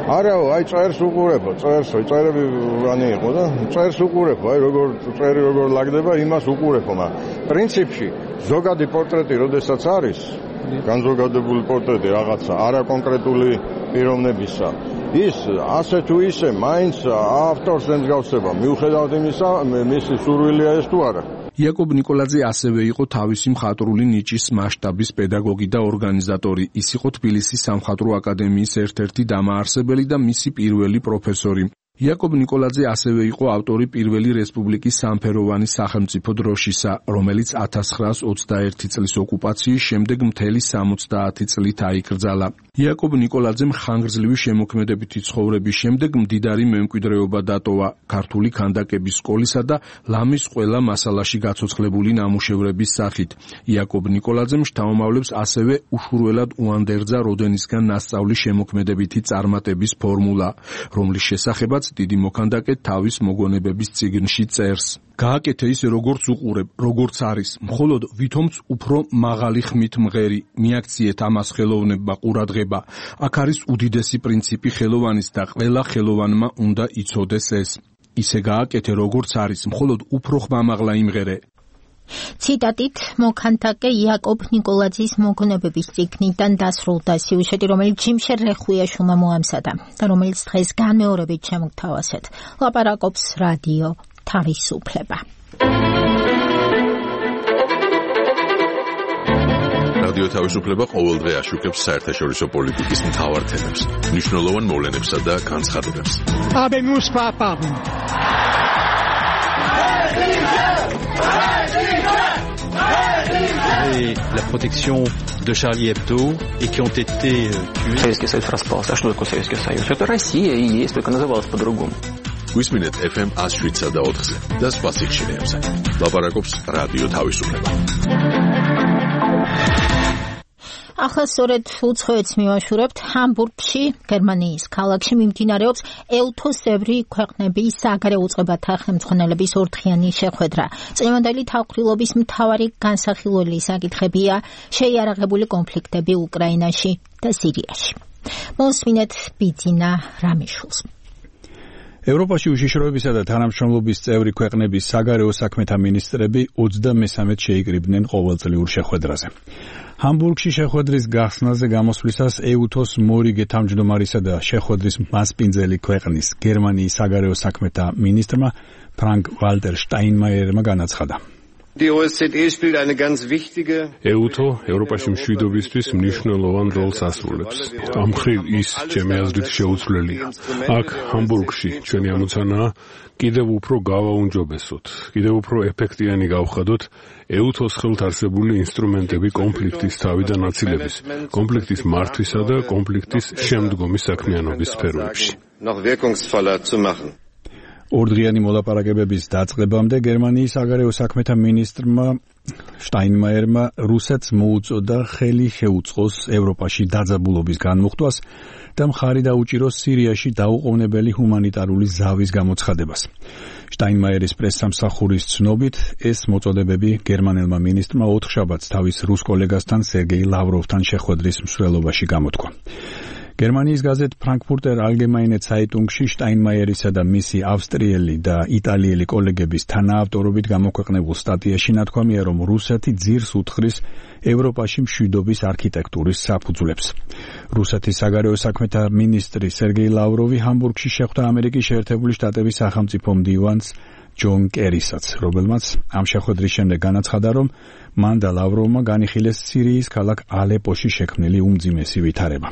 არაო, აი წერს უყურებო, წერს, წერები რანი იყო და წერს უყურებო, აი როგორ წერი როგორ ლაგდება, იმას უყურებო, მაგრამ პრინციპში ზოგადი პორტრეტი როდესაც არის, განზოგადებული პორტრეტი რაღაცა, არა კონკრეტული პიროვნებისა. ის ასე თუ ისე მაინც ავტორს ემსგავსება, მიუხედავად იმისა, მისი სურვილია ეს თუ არა. იაკობ ნიკოლაძე ასევე იყო თავისი მხატვრული ნიჭის მასშტაბის პედაგოგი და ორგანიზატორი. ის იყო თბილისის სამხატვრო აკადემიის ერთ-ერთი დამაარსებელი და მისი პირველი პროფესორი. იაკობ ნიკოლაძე ასევე იყო ავტორი პირველი რესპუბლიკის სამფეროვანი სახელმწიფო დროშისა, რომელიც ათას ცხრაას ოცდაერთი წლის ოკუპაციის შემდეგ მთელი სამოცდაათი წლით აიკრძალა. იაკობ ნიკოლაძემ ხანგრძლივი შემოქმედებითი ცხოვრების შემდეგ მდიდარი მემკვიდრეობა დატოვა ქართული ქანდაკების სკოლისა და ლამის ყველა მასალაში გაცოცხლებული ნამუშევრების სახით. იაკობ ნიკოლაძემ შთამომავლებს ასევე უშურველად უანდერძა როდენისგან ნასწავლი შემოქმედებითი წარმატების ფორმულა, რომლის შესახებაც დიდი მოქანდაკე თავის მოგონებების წიგნში წერს. გააკეთე ისე როგორც უყურებ, როგორც არის, მხოლოდ ვითომც უფრო მაღალი ხმით მღერი, მიაქციეთ ამას ხელოვნებმა ყურადღება. აქ არის უდიდესი პრინციპი ხელოვანის და ყველა ხელოვანმა უნდა იცოდეს ეს. ისე გააკეთე როგორც არის, მხოლოდ უფრო ხმამაღლა იმღერე. ციტატით მოქანდაკე იაკობ ნიკოლაძის მოგონებების წიგნიდან დასრულდა სიუჟეტი, რომელიც ჯიმშე რეხუიაშვილმა მოამზადა და რომელიც დღეს განმეორებით შემოგთავაზეთ. ლაპარაკობს რადიო თავისუფლება. რადიო თავისუფლება ყოველდღე აშუქებს საერთაშორისო პოლიტიკის მთავარ თემებს, მნიშვნელოვან მოვლენებსა და განცხადებებს. Habemus papam. Et la protection de Charlie Hebdo et qui ont été tués. Советский Союз распался. А что такое Советский Союз? Это Россия и есть, только называлась по-другому. Გვისმინეთ эф эм one oh seven და ოთხზე და სხვა სიხშირეებზე. ლაპარაკობს რადიო თავისუფლება. ახლა სწორედ უცხოეთს მივაშურებთ. ჰამბურგში, გერმანიის ქალაქში მიმდინარეობს ელთოსებრი ქვეყნების საგარეო უწყებათა ხელმძღვანელების ორდღიანი შეხვედრა. წინვანდელი თავმხრივლობის მთავარი განსახილველი საკითხებია შეიარაღებული კონფლიქტები უკრაინაში და სირიაში. მოსმინეთ ბიძინა რამიშვილს. ევროპაში უშიშროებისა და თანამშრომლობის წევრი ქვეყნების საგარეო საქმეთა მინისტრები ოცდამესამედ შეიკრიბნენ ყოველწლიურ შეხვედრაზე. ჰამბურგში შეხვედრის გახსნაზე გამოსვლისას ეუთოს მორიგე თავმჯდომარისა და შეხვედრის მასპინძელი ქვეყნის გერმანიის საგარეო საქმეთა მინისტრმა ფრანკ ვალტერ შტაინმაიერმა განაცხადა. ეუთო ევროპაში მშვიდობისთვის მნიშვნელოვან როლს ასრულებს. ამ მხრივ ის, ჩემი აზრით, შეუცვლელია. აქ ჰამბურგში ჩვენი ამოცანაა კიდევ უფრო გავაუნჯობესოთ, კიდევ უფრო ეფექტიანი გავხადოთ ეუთოს ხელთ არსებული ინსტრუმენტები კონფლიქტის თავიდან აცილების, კონფლიქტის მართვისა და კონფლიქტის შემდგომი საქმიანობის სფეროებში. ორდღიანი მოლაპარაკებების დაწყებამდე გერმანიის საგარეო საქმეთა მინისტრმა შტაინმაიერმა რუსეთს მოუწოდა ხელი შეუწყოს ევროპაში დაძაბულობის განმუხტვას და მხარი დაუჭიროს სირიაში დაუყოვნებელი ჰუმანიტარული ზავის გამოცხადებას. შტაინმაიერის პრესსამსახურის ცნობით, ეს მოწოდებები გერმანელმა მინისტრმა ოთხშაბათს თავის რუს კოლეგასთან სერგეი ლავროვთან შეხვედრის მსვლელობაში გამოთქვა. გერმანიის გაზეთ ფრანკფურტერ ალგემაინე ცაიტუნგში შტაინმაიერისა და მისი ავსტრიელი და იტალიელი კოლეგების თანაავტორობით გამოქვეყნებულ სტატიაში ნათქვამია, რომ რუსეთი ძირს უთხრის ევროპაში მშვიდობის არქიტექტურის საფუძვლებს. რუსეთის საგარეო საქმეთა მინისტრი სერგეი ლავროვი ჰამბურგში შეხვდა ამერიკის შეერთებული შტატების სახელმწიფო მდივანს ჯონ კერისაც, რომელმაც ამ შეხვედრის შემდეგ განაცხადა, რომ მან და ლავროვმა განიხილეს სირიის ქალაქ ალეპოში შექმნილი უმძიმესი ვითარება.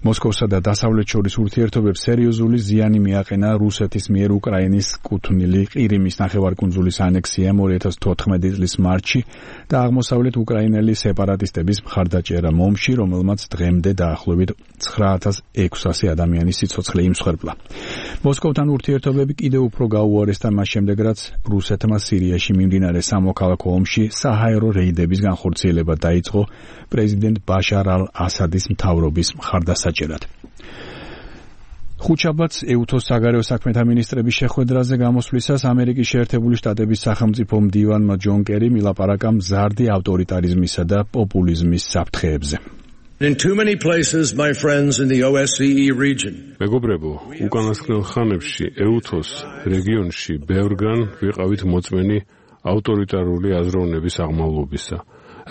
მოსკოვსა და დასავლეთ შორის ურთიერთობებს სერიოზული ზიანი მიაყენა რუსეთის მიერ უკრაინის კუთვნილი ყირიმის ნახევარკუნძულის ანექსიამ ორი ათას თოთხმეტი წლის მარტში და აღმოსავლეთ უკრაინელი სეპარატისტების მხარდაჭერა მომში, რომელმაც დღემდე დაახლოებით ცხრა ათას ექვსასი ადამიანის სიცოცხლე იმსხვერპლა. მოსკოვთან ურთიერთობები კიდევ უფრო გაუარესდა მას შემდეგ, რაც რუსეთმა სირიაში მიმდინარე სამოქალაქო ომში საჰაერო რეიდების განხორციელება დაიწყო პრეზიდენტ ბაშარ ალ-ასადის მთავრობის მხარდასაჭერად. ხუთშაბათს ეუთოს საგარეო საქმეთა მინისტრების შეხვედრაზე გამოსვლისას ამერიკის შეერთებული შტატების სახელმწიფო მდივანმა ჯონ კერიმ ილაპარაკა მზარდი ავტორიტარიზმისა და პოპულიზმის საფრთხეებზე. In too many places, my friends in the O S C E region. მეგობრებო, უკანასკნელ ხანებში ეუთოს რეგიონში ბევრგან ვიყავით მოწმენი ავტორიტარული აზროვნების აღმავლობისა,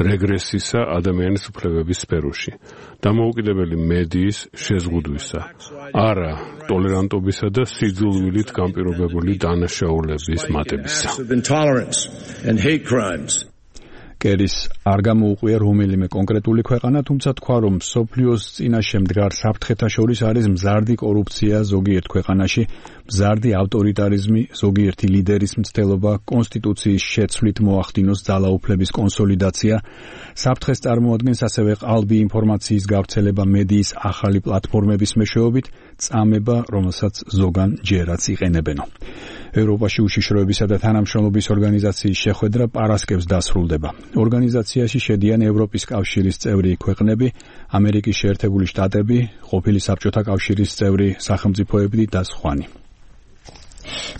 რეგრესისა ადამიანის უფლებების სფეროში, დამოუკიდებელი მედიის შეზღუდვისა, არა ტოლერანტობისა და სიძულვილით განპირობებული დანაშაულების მატებისა. კერის არ გამოუყვია რომელიმე კონკრეტული ქვეყანა, თუმცა თქვა, რომ მსოფლიოს წინაშე მდგარ საფრთხეთა შორის არის მზარდი კორუფცია ზოგიერთ ქვეყანაში, მზარდი ავტორიტარიზმი, ზოგიერთი ლიდერის მცდელობა, კონსტიტუციის შეცვლით მოახდინოს ძალაუფლების კონსოლიდაცია, საფრთხეს წარმოადგენს ასევე ყალბი ინფორმაციის გავრცელება მედიის ახალი პლატფორმების მეშვეობით, წამება, რომელსაც ზოგან ჯერაც იყენებენო. ევროპაში უშიშროებისა და თანამშრომლობის ორგანიზაციის შეხვედრა პარასკევს დასრულდება. ორგანიზაციაში შედიან ევროპის კავშირის წევრი ქვეყნები, ამერიკის შეერთებული შტატები, ყოფილი საბჭოთა კავშირის წევრი სახელმწიფოები და სხვანი.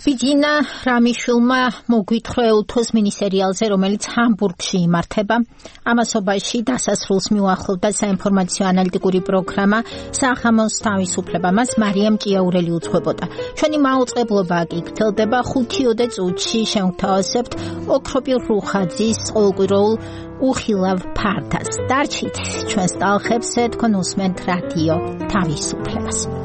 ბიძინა რამიშვილმა მოგვითხრა ეუთოს მინისერიალზე, რომელიც ჰამბურგში იმართება. ამასობაში დასასრულს მიუახლოვდა საინფორმაციო ანალიტიკური პროგრამა „სახამოს თავისუფლება“. მას მარიამ ჭიაურელი უძღვებოდა. ჩვენი მაუწყებლობა კი გრძელდება ხუთიოდე წუთში შევთავაზებთ ოქროპირ რუხაძის ყოველკვირეულ უხილავ ფართას. დარჩით ჩვენს ტალხებზე, თქვენ უსმენთ რადიო თავისუფლებას.